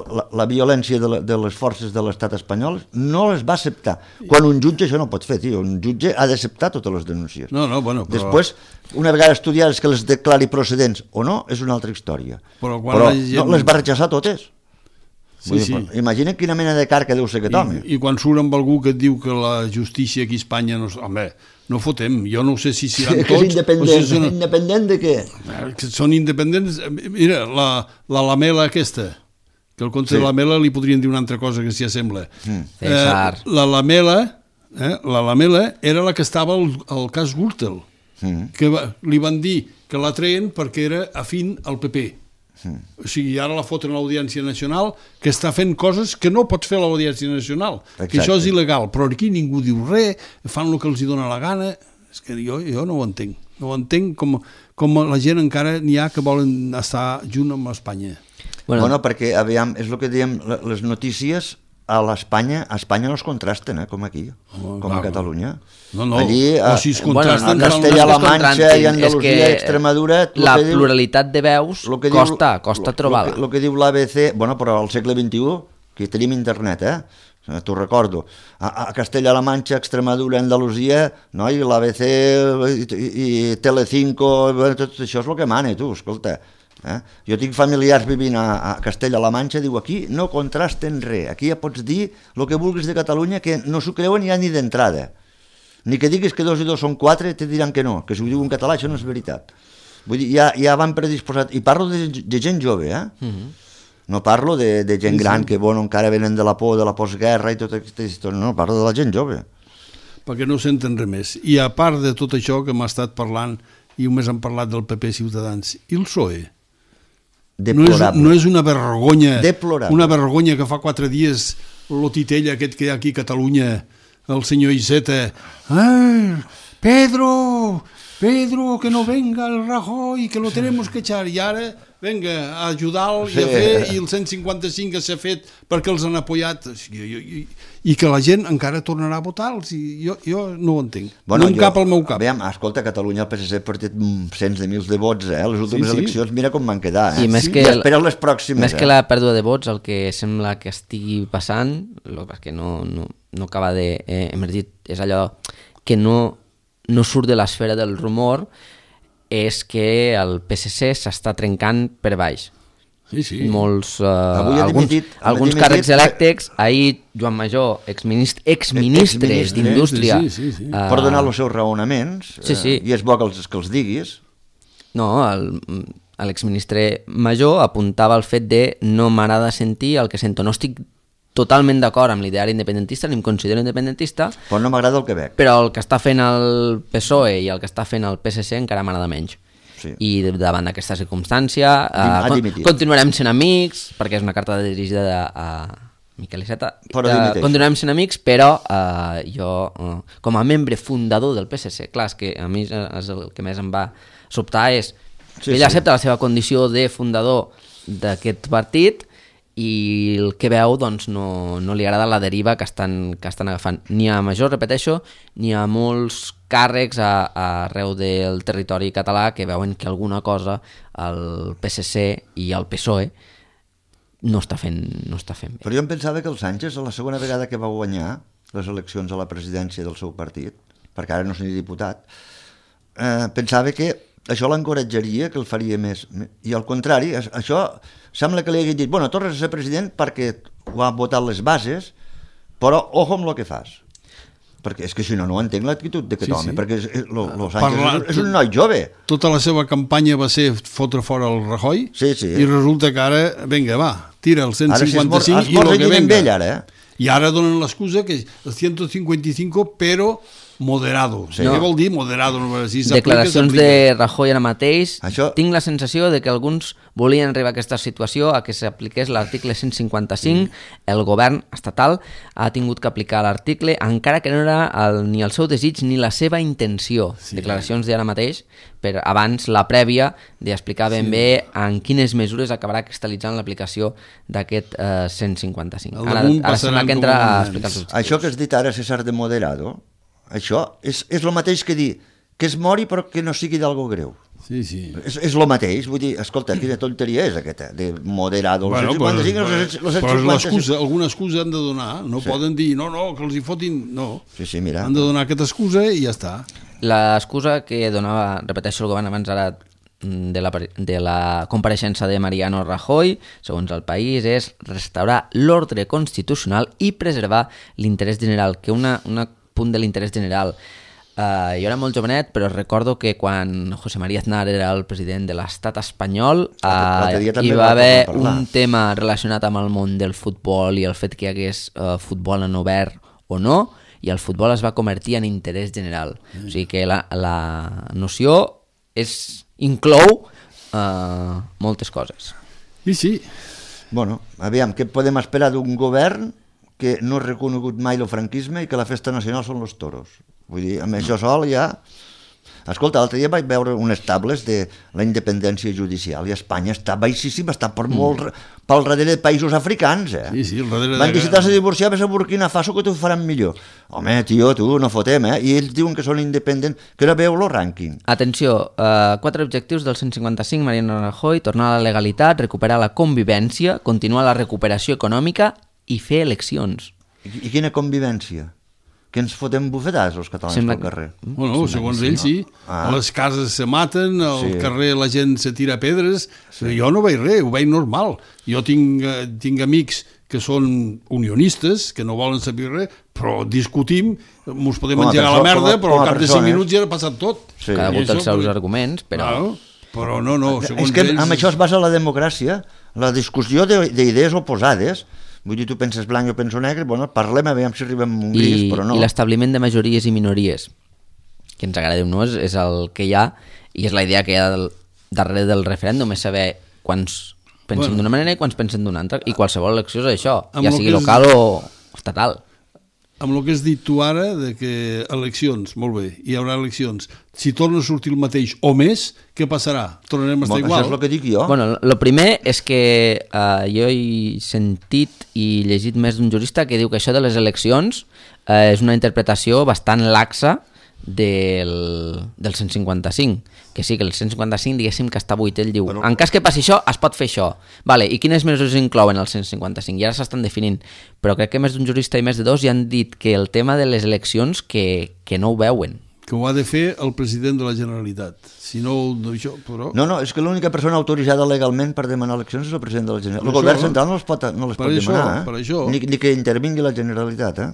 Speaker 2: la, la violència de, la, de les forces de l'estat espanyol no les va acceptar. Quan un jutge això no pot fer, tio. Un jutge ha d'acceptar totes les denúncies.
Speaker 3: No, no, bueno, però...
Speaker 2: Després, una vegada estudiades que les declari procedents o no, és una altra història.
Speaker 3: Però quan
Speaker 2: Però
Speaker 3: la gent-
Speaker 2: no, les va rechaçar totes.
Speaker 3: Sí,
Speaker 2: Vull dir,
Speaker 3: sí.
Speaker 2: però imagina quina mena de carca deu ser aquest home.
Speaker 3: I, I quan surt amb algú que et diu que la justícia aquí a Espanya no... Home, no fotem, jo no sé si seran
Speaker 2: que és
Speaker 3: tots...
Speaker 2: independent.
Speaker 3: o si són,
Speaker 2: Independent de què?
Speaker 3: que són independents. Mira, la, la lamela aquesta, que el conte
Speaker 2: Sí.
Speaker 3: de Lamela li podrien dir una altra cosa que s'hi assembla.
Speaker 2: Mm.
Speaker 1: César.
Speaker 3: Eh, la Lamela, eh, la Lamela era la que estava al, al cas Gürtel,
Speaker 2: Mm.
Speaker 3: que va, li van dir que la treien perquè era afín al P P.
Speaker 2: Mm.
Speaker 3: O sigui, ara la foten a l'Audiència Nacional, que està fent coses que no pots fer a l'Audiència Nacional, que
Speaker 2: Exacte.
Speaker 3: això és il·legal, però aquí ningú diu res, fan el que els hi dona la gana. És que jo, jo no ho entenc. No ho entenc com, com la gent encara n'hi ha que volen estar junt amb Espanya.
Speaker 2: Bueno, bueno, perquè, aviam, és el que diem, le- les notícies a l'Espanya, a Espanya no es contrasten, eh, com aquí,
Speaker 3: Home,
Speaker 2: com
Speaker 3: clar.
Speaker 2: a Catalunya.
Speaker 3: No, no,
Speaker 2: Allí,
Speaker 3: o
Speaker 2: a,
Speaker 3: si es
Speaker 1: Bueno,
Speaker 3: contrasten...
Speaker 1: no,
Speaker 3: fan
Speaker 2: Castella-La
Speaker 3: una-
Speaker 1: no és que es
Speaker 2: Manxa
Speaker 1: contrastin,
Speaker 2: i Andalusia
Speaker 1: és que
Speaker 2: i Extremadura, lo
Speaker 1: la
Speaker 2: que diu-
Speaker 1: pluralitat de veus
Speaker 2: lo que diu-
Speaker 1: costa, costa
Speaker 2: lo-
Speaker 1: trobar-la.
Speaker 2: El que, lo que diu l'A B C, bueno, però al segle vint-i-u, que tenim internet, eh? Eh, t'ho recordo, a, a Castella-La Manxa, Extremadura, Andalusia, no? I l'A B C i, i, i Telecinco, bueno, tot això és el que mana, tu, escolta. Eh? Jo tinc familiars vivint a, a Castella-La Manxa, diu, aquí no contrasten res, aquí ja pots dir el que vulguis de Catalunya, que no s'ho creuen ja ni d'entrada. Ni que diguis que dos i dos són quatre, te diran que no, que si ho diu en català això no és veritat. Vull dir, ja, ja van predisposats, i parlo de, de gent jove, eh?
Speaker 1: Mhm.
Speaker 2: No parlo de, de gent
Speaker 3: Sí, sí.
Speaker 2: gran que, bueno, encara venen de la por, de la postguerra i tota aquesta història, no, parlo de la gent jove.
Speaker 3: perquè no senten res més. I a part de tot això que m'ha estat parlant, i només han parlat del P P Ciutadans, i el P S O E? No és,
Speaker 2: Deplorable.
Speaker 3: no és una vergonya,
Speaker 2: Deplorable.
Speaker 3: una vergonya que fa quatre dies lo titella aquest que hi ha aquí a Catalunya, el senyor Iceta, ¡ay, Pedro, Pedro, que no venga el Rajoy, que lo tenemos que echar, i ara, venga, a ajudar-lo i a
Speaker 2: Sí.
Speaker 3: fer, i el cent cinquanta cinc que s'ha fet perquè els han apoyat, o sigui, i, i, i que la gent encara tornarà a votar-los, i jo, jo no ho entenc,
Speaker 2: Bueno,
Speaker 3: no em
Speaker 2: jo-
Speaker 3: cap al meu cap.
Speaker 2: Aviam, escolta, Catalunya, el P S C ha perdut mm, cents de mils de vots, eh? Les últimes
Speaker 3: Sí, sí.
Speaker 2: eleccions, mira com van quedar, eh?
Speaker 1: I més que
Speaker 2: I
Speaker 1: el-
Speaker 2: espera les pròximes,
Speaker 1: Més que
Speaker 2: eh?
Speaker 1: la pèrdua de vots, el que sembla que estigui passant, lo, perquè no, no, no acaba d'emergir, eh, és allò que no, no surt de l'esfera del rumor, és que el P S C s'està trencant per baix.
Speaker 3: Sí, sí.
Speaker 1: Molts, uh,
Speaker 2: Avui ha
Speaker 1: alguns,
Speaker 2: dimitit- ha
Speaker 1: alguns
Speaker 2: dimitit-
Speaker 1: càrrecs elèctrics, ahir Joan Major, exministre, exministre
Speaker 2: Exministre,
Speaker 1: d'Indústria,
Speaker 3: sí, sí, sí, sí.
Speaker 1: eh,
Speaker 2: Per donar els seus raonaments,
Speaker 1: Sí, sí.
Speaker 2: Eh, i és bo que els, que els diguis.
Speaker 1: no, el- l'exministre Major apuntava al fet de no m'agrada sentir el que sento. No estic totalment d'acord amb l'ideari independentista, ni em considero independentista,
Speaker 2: Però no m'agrada el que veig.
Speaker 1: però el que està fent el P S O E i el que està fent el P S C encara m'agrada menys.
Speaker 2: Sí.
Speaker 1: I davant d'aquesta circumstància
Speaker 2: Ha
Speaker 1: eh, con
Speaker 2: dimitit.
Speaker 1: continuarem sent amics, perquè és una carta dirigida a, a Miquel Iceta.
Speaker 2: Però
Speaker 1: Eh,
Speaker 2: dimiteix.
Speaker 1: continuarem sent amics, però eh, jo, eh, com a membre fundador del P S C, clar, és que a mi és, és el que més em va sobtar és
Speaker 2: Sí,
Speaker 1: ell
Speaker 2: sí.
Speaker 1: accepta la seva condició de fundador d'aquest partit i el que veu doncs, no, no li agrada la deriva que estan, que estan agafant. Ni a Major, repeteixo, ni a molts càrrecs a, a arreu del territori català que veuen que alguna cosa el P S C i el P S O E no està fent, no està fent bé.
Speaker 2: Però jo em pensava que el Sánchez, a la segona vegada que va guanyar les eleccions a la presidència del seu partit, perquè ara no és ni diputat, eh, pensava que això l'encoratjaria, que el faria més. I al contrari, es- això sembla que li hagués dit, bueno, tornes a ser president perquè ho han votat les bases, però ojo amb el que fas. perquè és que si no, no entenc l'actitud d'aquest
Speaker 3: Sí,
Speaker 2: home,
Speaker 3: sí.
Speaker 2: perquè és, és, lo, lo Sánchez
Speaker 3: Parla-
Speaker 2: és, és un noi jove.
Speaker 3: Tota la seva campanya va ser fotre fora el Rajoy
Speaker 2: Sí, sí.
Speaker 3: i resulta que ara, vinga, va, tira el cent
Speaker 2: Ara si es mor,
Speaker 3: cinquanta-cinc
Speaker 2: es
Speaker 3: i
Speaker 2: mor
Speaker 3: el que
Speaker 2: amb
Speaker 3: venga.
Speaker 2: ell ara, eh?
Speaker 3: I ara donen l'excusa que el cent cinquanta y cinco però moderado.
Speaker 2: Sí.
Speaker 3: Què
Speaker 1: No.
Speaker 3: vol dir moderado? Si s'aplica,
Speaker 1: Declaracions
Speaker 3: s'aplica.
Speaker 1: de Rajoy ara mateix.
Speaker 2: Això-
Speaker 1: Tinc la sensació de que alguns volien arribar a aquesta situació a que s'apliqués l'article cent cinquanta-cinc. El govern estatal ha tingut que aplicar l'article, encara que no era el, ni el seu desig ni la seva intenció.
Speaker 3: Sí.
Speaker 1: Declaracions d'ara mateix, per abans la prèvia d'explicar ben
Speaker 3: Sí.
Speaker 1: bé en quines mesures acabarà cristal·litzant l'aplicació d'aquest eh, cent cinquanta-cinc.
Speaker 3: El
Speaker 1: Ara,
Speaker 3: damunt
Speaker 1: ara sembla
Speaker 3: passaran
Speaker 1: que
Speaker 3: com
Speaker 1: entra a
Speaker 3: els
Speaker 1: explicar els
Speaker 3: nens.
Speaker 1: objectius.
Speaker 2: Això que has dit ara, César de moderado, això és, és el mateix que dir que es mori però que no sigui d'algo greu.
Speaker 3: Sí, sí.
Speaker 2: És, és el mateix, vull dir, escolta, quina tonteria és aquesta, de moderado, el
Speaker 3: Bueno,
Speaker 2: cent cinquanta-cinc,
Speaker 3: però,
Speaker 2: el cent
Speaker 3: però
Speaker 2: cinquanta-cinc.
Speaker 3: l'excusa, alguna excusa han de donar, no
Speaker 2: Sí.
Speaker 3: poden dir, no, no, que els hi fotin, no.
Speaker 2: Sí, sí, mira.
Speaker 3: Han de donar aquesta excusa i ja està.
Speaker 1: L'excusa que donava, repeteixo, el govern abans ara mm, de la, de la compareixença de Mariano Rajoy, segons el país, és restaurar l'ordre constitucional i preservar l'interès general, que una, una punt de l'interès general. Uh, jo era molt jovenet, però recordo que quan José María Aznar era el president de l'estat espanyol,
Speaker 2: L'altre
Speaker 1: uh,
Speaker 2: dia també
Speaker 1: hi
Speaker 2: va
Speaker 1: va haver
Speaker 2: parlar.
Speaker 1: un tema relacionat amb el món del futbol i el fet que hi hagués uh, futbol en obert o no, i el futbol es va convertir en interès general. O sigui que la, la noció és, inclou uh, moltes coses.
Speaker 3: I sí,
Speaker 2: Bueno, aviam, què podem esperar d'un govern que no ha reconegut mai el franquisme i que la festa nacional són els toros? Vull dir, amb això sol ja... Escolta, l'altre dia vaig veure unes tables de la independència judicial i Espanya està baixíssima, està per molt mm. pel darrere de països africans, eh?
Speaker 3: sí, sí, al darrere
Speaker 2: Van
Speaker 3: de...
Speaker 2: dir, si t'has de divorciar, ves a Burkina Faso que t'ho faran millor. Home, tio, tu, no fotem, eh? I ells diuen que són independents, que ara veu el rànquing.
Speaker 1: Atenció, uh, quatre objectius del cent cinquanta-cinc, Mariano Rajoy: tornar a la legalitat, recuperar la convivència, continuar la recuperació econòmica i fer eleccions.
Speaker 2: I, i quina convivència? Que ens fotem bufetades els catalans
Speaker 1: Sembla
Speaker 2: pel
Speaker 1: que-
Speaker 2: carrer.
Speaker 3: Bueno, segons ells sí.
Speaker 2: Ah.
Speaker 3: A les cases se maten, al
Speaker 2: Sí.
Speaker 3: carrer la gent se tira pedres. Jo no veig res, ho veig normal. Jo tinc, eh, tinc amics que són unionistes, que no volen saber res, però discutim, mos podem
Speaker 2: Com a
Speaker 3: engegar la
Speaker 2: perso-
Speaker 3: merda,
Speaker 2: com a-
Speaker 3: però
Speaker 2: com a
Speaker 3: al cap de cinc
Speaker 2: persones.
Speaker 3: minuts ja ha passat tot.
Speaker 2: Sí.
Speaker 1: Cada
Speaker 3: I
Speaker 1: volta els
Speaker 3: això,
Speaker 1: seus
Speaker 3: però-
Speaker 1: arguments, però...
Speaker 3: Claro, però no, no, segons
Speaker 2: És que
Speaker 3: ells...
Speaker 2: amb això es basa la democràcia, la discussió de- d'idees oposades. Vull dir, tu penses blanc, jo penso negre, bueno, parlem, aviam si arribem a un gris,
Speaker 1: I,
Speaker 2: però no.
Speaker 1: i l'establiment de majories i minories, que ens agrada o no, és, és el que hi ha, i és la idea que hi ha del, darrere del referèndum, és saber quants pensen
Speaker 3: Bueno.
Speaker 1: d'una manera i quants pensen d'una altra, i qualsevol elecció és això,
Speaker 3: Amb
Speaker 1: ja
Speaker 3: lo
Speaker 1: sigui
Speaker 3: que és-
Speaker 1: local o estatal.
Speaker 3: Amb el que has dit tu ara, de que eleccions, molt bé, hi haurà eleccions. Si torna a sortir el mateix o més, què passarà? Tornarem a estar
Speaker 2: Bueno,
Speaker 3: igual?
Speaker 2: això és el que dic jo.
Speaker 1: Bueno, el primer és que uh, jo he sentit i llegit més d'un jurista que diu que això de les eleccions uh, és una interpretació bastant laxa del, del cent cinquanta-cinc, que sí, que el cent cinquanta-cinc diguéssim que està buit. Ell diu,
Speaker 2: Bueno.
Speaker 1: en cas que passi això, es pot fer això. Vale, i quines mesures inclouen el cent cinquanta-cinc? I ara s'estan definint, però crec que més d'un jurista i més de dos ja han dit que el tema de les eleccions que, que no ho veuen.
Speaker 3: Que ho ha de fer el president de la Generalitat. Si no, no això, però...
Speaker 2: No, no, és que l'única persona autoritzada legalment per demanar eleccions és el president de la Generalitat.
Speaker 3: Per
Speaker 2: El govern
Speaker 3: això,
Speaker 2: central no les pot, no les
Speaker 3: per
Speaker 2: pot
Speaker 3: això,
Speaker 2: demanar, eh?
Speaker 3: per això.
Speaker 2: Ni, ni que intervingui la Generalitat, eh?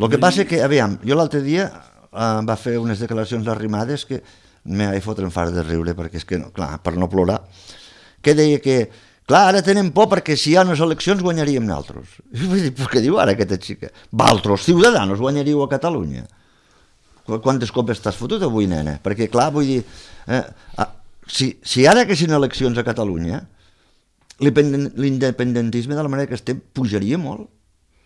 Speaker 2: El que passa que, aviam, jo l'altre dia eh, va fer unes declaracions arrimades que me vaig fotre en fart de riure, perquè és que, no, clar, per no plorar, que deia que, clar, ara tenen por perquè si hi ha unes eleccions guanyaríem nosaltres. I vaig dir, però què diu ara aquesta xica? Valtros ciutadanos guanyaríeu a Catalunya. Qu- Quantes copes t'has fotut avui, nena? Perquè, clar, vull dir, eh, ah, si, si ara que siguin eleccions a Catalunya, l'independen- l'independentisme de la manera que estem pujaria molt.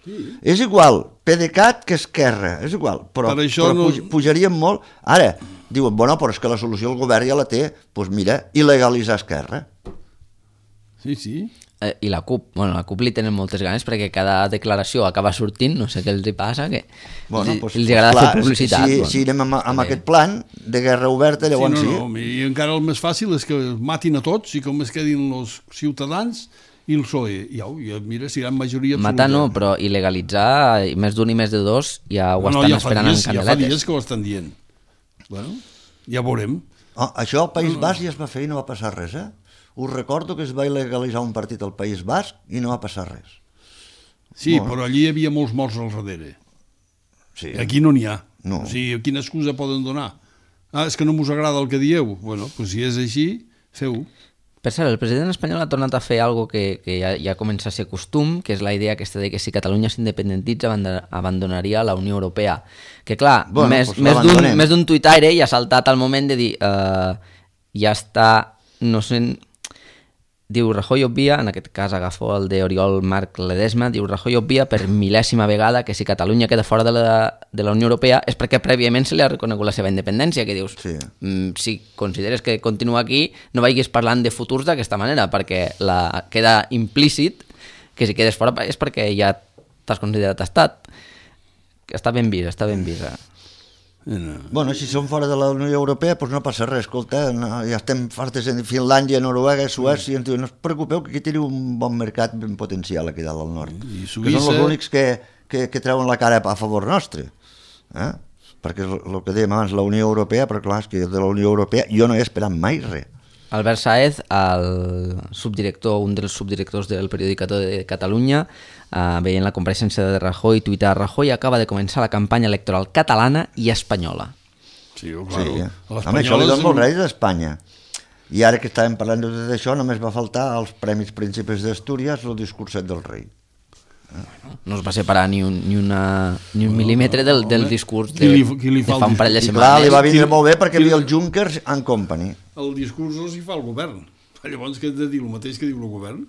Speaker 2: Sí. És igual PDeCAT que Esquerra, és igual, però,
Speaker 3: Per això
Speaker 2: però
Speaker 3: no-
Speaker 2: puj, pujaríem molt. Ara, diuen, bueno, però és que la solució el govern ja la té, doncs mira, il·legalitzar Esquerra.
Speaker 3: Sí, sí.
Speaker 1: Eh, I la CUP, bueno, la CUP li tenen moltes ganes perquè cada declaració acaba sortint, no sé què els hi passa, que
Speaker 2: Bueno,
Speaker 1: els,
Speaker 2: doncs,
Speaker 1: els agrada
Speaker 2: clar,
Speaker 1: fer publicitat.
Speaker 2: Si,
Speaker 1: bueno.
Speaker 2: si anem amb, amb
Speaker 1: També.
Speaker 2: aquest plan de guerra oberta, llavors
Speaker 3: sí,
Speaker 2: sí.
Speaker 3: no, no, I encara el més fàcil és que matin a tots i com es quedin els ciutadans i el P S O E. I, au, i mira, si hi ha majoria absoluta.
Speaker 1: Matar no, però il·legalitzar, i més d'un i més de dos, ja ho
Speaker 3: no,
Speaker 1: estan
Speaker 3: ja fa
Speaker 1: esperant
Speaker 3: dies,
Speaker 1: en
Speaker 3: ja fa
Speaker 1: candeletes.
Speaker 3: dies que ho estan dient. Bueno, ja veurem.
Speaker 2: Oh, això al País Basc ja es va fer i no va passar res, eh? Us recordo que es va il·legalitzar un partit al País Basc i no va passar res.
Speaker 3: Sí,
Speaker 2: Molt.
Speaker 3: però allí hi havia molts morts al darrere.
Speaker 2: Sí.
Speaker 3: Aquí no n'hi ha.
Speaker 2: No.
Speaker 3: O sigui, quina excusa poden donar? Ah, és que no us agrada el que dieu? Bueno, doncs si és així, feu-ho.
Speaker 1: Per cert, el president espanyol ha tornat a fer algo que, que ja, ja comença a ser costum, que és la idea aquesta de que si Catalunya s'independentitza abandonaria la Unió Europea. Que clar,
Speaker 2: bueno,
Speaker 1: més,
Speaker 2: pues
Speaker 1: més, d'un, més d'un tuitaire ja ha saltat al moment de dir uh, ja està, no sé, diu Rajoy obvia, en aquest cas agafo el d'Oriol Marc Ledesma, diu Rajoy obvia per mil·lèsima vegada que si Catalunya queda fora de la, de la Unió Europea és perquè prèviament se li ha reconegut la seva independència, que dius,
Speaker 2: sí.
Speaker 1: mm, si consideres que continua aquí, no vagis parlant de futurs d'aquesta manera, perquè la, queda implícit que si quedes fora és perquè ja t'has considerat estat. Està ben vist, està ben vist. Eh?
Speaker 2: No. Bueno, si som fora de la Unió Europea, doncs no passa res, escolta, no, ja estem fartes en Finlàndia, Noruega, Suècia, mm. ens diuen, no us preocupeu que aquí teniu un bon mercat ben potencial aquí dalt al nord,
Speaker 3: I
Speaker 2: Suïssa... que són els únics que, que, que treuen la cara a favor nostre, eh? Perquè el que dèiem abans, la Unió Europea, però clar, és que de la Unió Europea jo no he esperat mai res.
Speaker 1: Albert Sáez, el subdirector, un dels subdirectors del Periodicator de Catalunya, eh, veient la compareixença de Rajoy, tuita Rajoy acaba de començar la campanya electoral catalana i espanyola.
Speaker 3: Sí, claro.
Speaker 2: Sí, home, això li dona molt rei d'Espanya. I ara que estàvem parlant de tot això, només va faltar als Premis Príncipes d'Astúries el discurset del rei.
Speaker 1: Bueno, no es va separar ni un, ni una, ni un mil·límetre del, del discurs de,
Speaker 3: qui li, qui li
Speaker 1: de fa un parell de
Speaker 2: I
Speaker 1: setmanes.
Speaker 2: clar, li va vindre molt bé perquè havia el Junkers and Company.
Speaker 3: El discurs els hi fa el govern. Llavors, què has de dir? El mateix que diu el govern?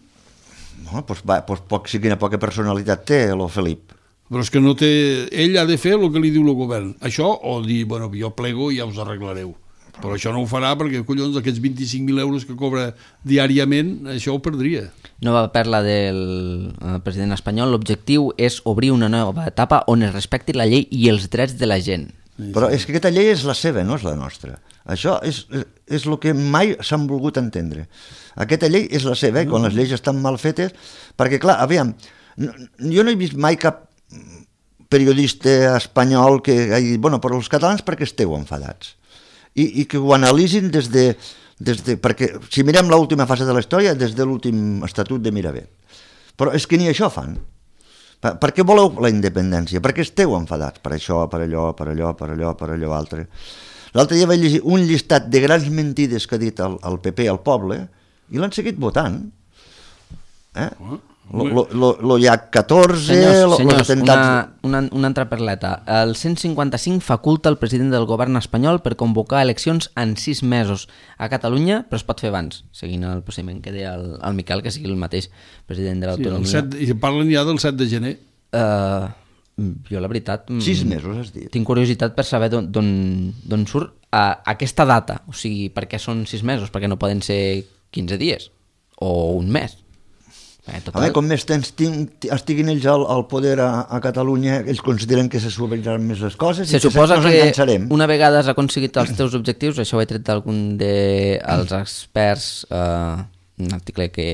Speaker 2: No, doncs, va, doncs poc, sí, quina poca personalitat té, el Felip.
Speaker 3: Però és que no té... Ell ha de fer el que li diu el govern. Això, o dir, bueno, jo plego i ja us arreglareu. Però això no ho farà perquè, collons, aquests vint-i-cinc mil euros que cobra diàriament, això ho perdria.
Speaker 1: Nova perla del president espanyol. L'objectiu és obrir una nova etapa on es respecti la llei i els drets de la gent.
Speaker 2: Però és que aquesta llei és la seva, no és la nostra. Això és, és el que mai s'han volgut entendre. Aquesta llei és la seva, eh? Quan les lleis estan mal fetes, perquè, clar, aviam, jo no he vist mai cap periodista espanyol que hagi dit, bueno, però els catalans perquè esteu enfadats. I, i que ho analitzin des de, des de... Perquè si mirem l'última fase de la història, des de l'últim estatut de Miravet. Però és que ni això fan. Per, per què voleu la independència? Per què esteu enfadats? Per això, per allò, per allò, per allò, per allò altre. L'altre dia vaig llegir un llistat de grans mentides que ha dit el, el P P al poble i l'han seguit votant. Eh? Lo, lo, lo, lo hi ha catorze...
Speaker 1: Senyors, senyors
Speaker 2: los atemptats...
Speaker 1: una, una, una altra perleta. El cent cinquanta-cinc faculta el president del govern espanyol per convocar eleccions en sis mesos a Catalunya, però es pot fer abans, seguint el procediment que deia el, el Miquel, que sigui el mateix president de l'autonomia.
Speaker 3: Sí, I parlen ja del set de gener.
Speaker 1: Uh, jo, la veritat...
Speaker 2: Sis mesos, has dit.
Speaker 1: Tinc curiositat per saber d'on surt uh, aquesta data. O sigui, per què són sis mesos? Perquè no poden ser quinze dies o un mes. Eh,
Speaker 2: a veure, com més temps estiguin ells al, al poder a, a Catalunya, ells consideren que se suaviran més les coses
Speaker 1: se
Speaker 2: i
Speaker 1: suposa
Speaker 2: que
Speaker 1: que
Speaker 2: encansarem.
Speaker 1: Una vegada has aconseguit els teus objectius, això ho he tret d'algun dels experts, eh, un article que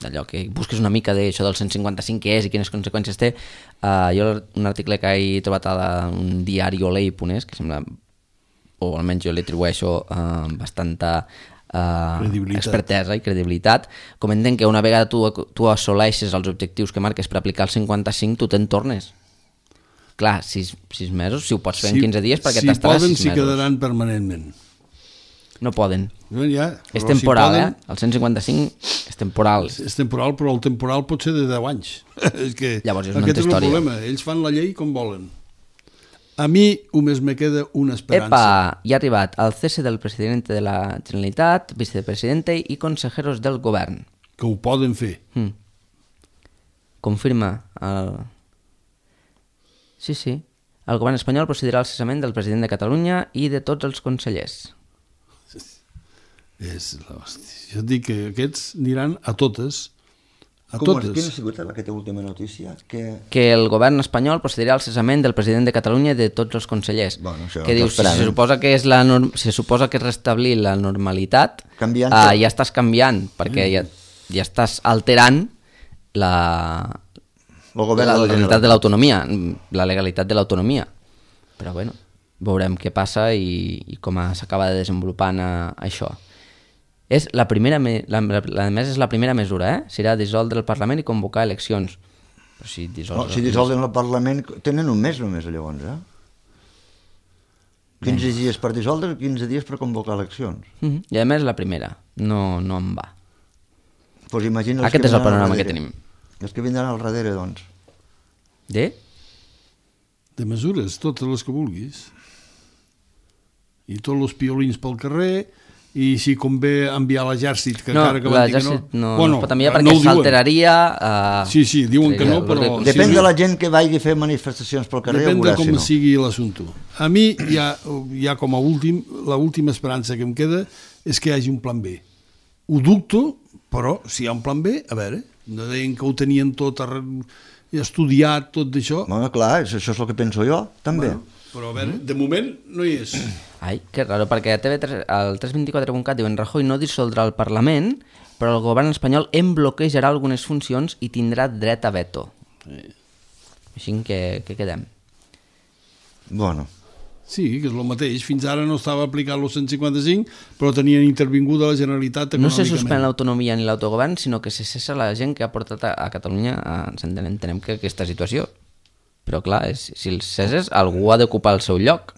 Speaker 1: d'allò que busques una mica d'això del cent cinquanta-cinc què és i quines conseqüències té. eh, jo un article que he trobat a la, un diari olei punt es que sembla, o almenys jo li atribueixo eh, bastanta Uh, expertesa i credibilitat, comenten que una vegada tu, tu assoleixes els objectius que marques per aplicar el cinquanta-cinc, tu te'n tornes. Clar, sis, sis mesos, si ho pots fer si, en quinze dies, perquè
Speaker 3: si
Speaker 1: t'estaràs
Speaker 3: poden,
Speaker 1: sis
Speaker 3: si
Speaker 1: mesos.
Speaker 3: quedaran permanentment.
Speaker 1: No poden.
Speaker 3: Ja,
Speaker 1: és temporal,
Speaker 3: si
Speaker 1: poden, eh? El cent cinquanta-cinc és temporal.
Speaker 3: És, és temporal, però el temporal pot ser de deu anys. és que
Speaker 1: Llavors és una
Speaker 3: aquest
Speaker 1: altra història.
Speaker 3: És el problema. Ells fan la llei com volen. A mi només me queda una esperança.
Speaker 1: Epa, ja ha arribat el cese del president de la Generalitat, vicepresidente i consejeros del govern.
Speaker 3: Que ho poden fer.
Speaker 1: Hmm. Confirma el... Sí, sí. El govern espanyol procedirà al cessament del president de Catalunya i de tots els consellers.
Speaker 3: És l'hòstia. Jo et dic que aquests aniran a totes. A
Speaker 2: Com
Speaker 3: totes.
Speaker 2: Quina ha sigut aquesta última notícia? Que...
Speaker 1: que el govern espanyol procedirà al cessament del president de Catalunya i de tots els consellers.
Speaker 2: Bueno, això,
Speaker 1: que dius, si se suposa que és la norm... si se suposa que és restablir la normalitat, uh, ja estàs canviant, perquè mm. ja, ja estàs alterant la, la legalitat de l'autonomia, la legalitat de l'autonomia. Però bueno, veurem què passa i, i com s'acaba de desenvolupant uh, això. És la primera, me... la, la, la més és la primera mesura, eh? Serà dissoldre el Parlament i convocar eleccions. Però si dissols...
Speaker 2: No, si dissolven el Parlament, tenen un mes només, llavors, eh? quinze dies per dissoldre i quinze dies per convocar eleccions.
Speaker 1: Mm -hmm. I a més la primera, no, no em va.
Speaker 2: Pues imagina els
Speaker 1: Aquest
Speaker 2: que
Speaker 1: és el
Speaker 2: vindran al
Speaker 1: panorama que
Speaker 2: darrere.
Speaker 1: tenim.
Speaker 2: Els que vindran al darrere, doncs.
Speaker 1: De?
Speaker 3: De mesures, totes les que vulguis. I tots els piolins pel carrer, i si convé enviar l'exèrcit, que
Speaker 1: No,
Speaker 3: encara que van dir que no...
Speaker 1: l'exèrcit no,
Speaker 3: bueno,
Speaker 1: no es pot enviar
Speaker 3: no
Speaker 1: perquè
Speaker 3: ho diuen.
Speaker 1: s'alteraria... Uh,
Speaker 3: Sí, sí, diuen que no, però...
Speaker 2: Depèn
Speaker 3: sí,
Speaker 2: de la gent que vagi a fer manifestacions pel carrer,
Speaker 3: Depèn de
Speaker 2: veurà
Speaker 3: com
Speaker 2: si no.
Speaker 3: sigui l'assumpte. A mi, ja, ja com a últim, l'última esperança que em queda és que hi hagi un plan B. Ho dubto, però si hi ha un plan B, a veure, no deien que ho tenien tot arre... estudiat, tot d'això.
Speaker 2: Bueno, clar, això és el que penso jo, també.
Speaker 3: Bueno, però a veure, de moment no hi és.
Speaker 1: Ai, que raro, perquè a T V tres, al tres vint quatre punt cat diuen Rajoy no dissoldrà el Parlament, però el govern espanyol en bloquejarà algunes funcions i tindrà dret a veto.
Speaker 3: Sí.
Speaker 1: Així que, que quedem.
Speaker 2: Bueno,
Speaker 3: Sí, que és el mateix. Fins ara no estava aplicat el cent cinquanta-cinc, però tenien intervinguda la Generalitat
Speaker 1: No
Speaker 3: econòmicament.
Speaker 1: se suspèn l'autonomia ni l'autogovern, sinó que se cessa la gent que ha portat a, a Catalunya a, entenem, entenem que aquesta situació. Però clar, és, si els ceses, algú ha d'ocupar el seu lloc.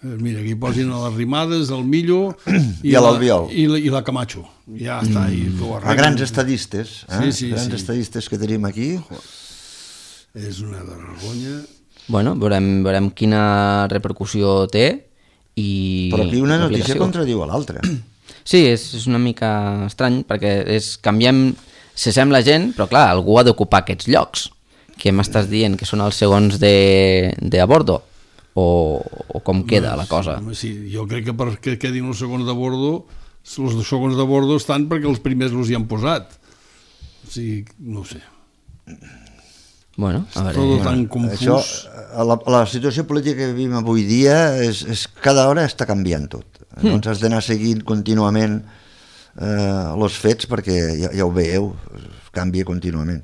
Speaker 3: Eh, Mira, aquí posin a les Rimades, el Millo
Speaker 2: I a
Speaker 3: la-
Speaker 2: l'Albiol.
Speaker 3: i, la, i la Camacho. Ja està, i que ho
Speaker 2: a
Speaker 3: arreglen.
Speaker 2: grans estadistes, eh?
Speaker 3: Sí, sí,
Speaker 2: grans
Speaker 3: sí.
Speaker 2: estadistes que tenim aquí.
Speaker 3: És una vergonya.
Speaker 1: Bueno, veurem, veurem quina repercussió té i...
Speaker 2: Però aquí una notícia
Speaker 1: l'aplicació.
Speaker 2: contradiu a l'altra.
Speaker 1: Sí, és, és una mica estrany, perquè és, canviem, cessem la gent, però clar, algú ha d'ocupar aquests llocs. Que m'estàs dient que són els segons de, de a bordo? O, o com queda la cosa?
Speaker 3: Home, sí, jo crec que perquè quedin els segons de bordo, els segons de bordo estan perquè els primers els hi han posat. O sigui, no ho sé.
Speaker 1: Bueno, a veure...
Speaker 3: Tot tan confús.
Speaker 2: Això, la, la situació política que vivim avui dia és, és cada hora està canviant tot. Mm. Doncs has d'anar seguint contínuament eh, els fets perquè ja, ja ho veieu, canvia contínuament.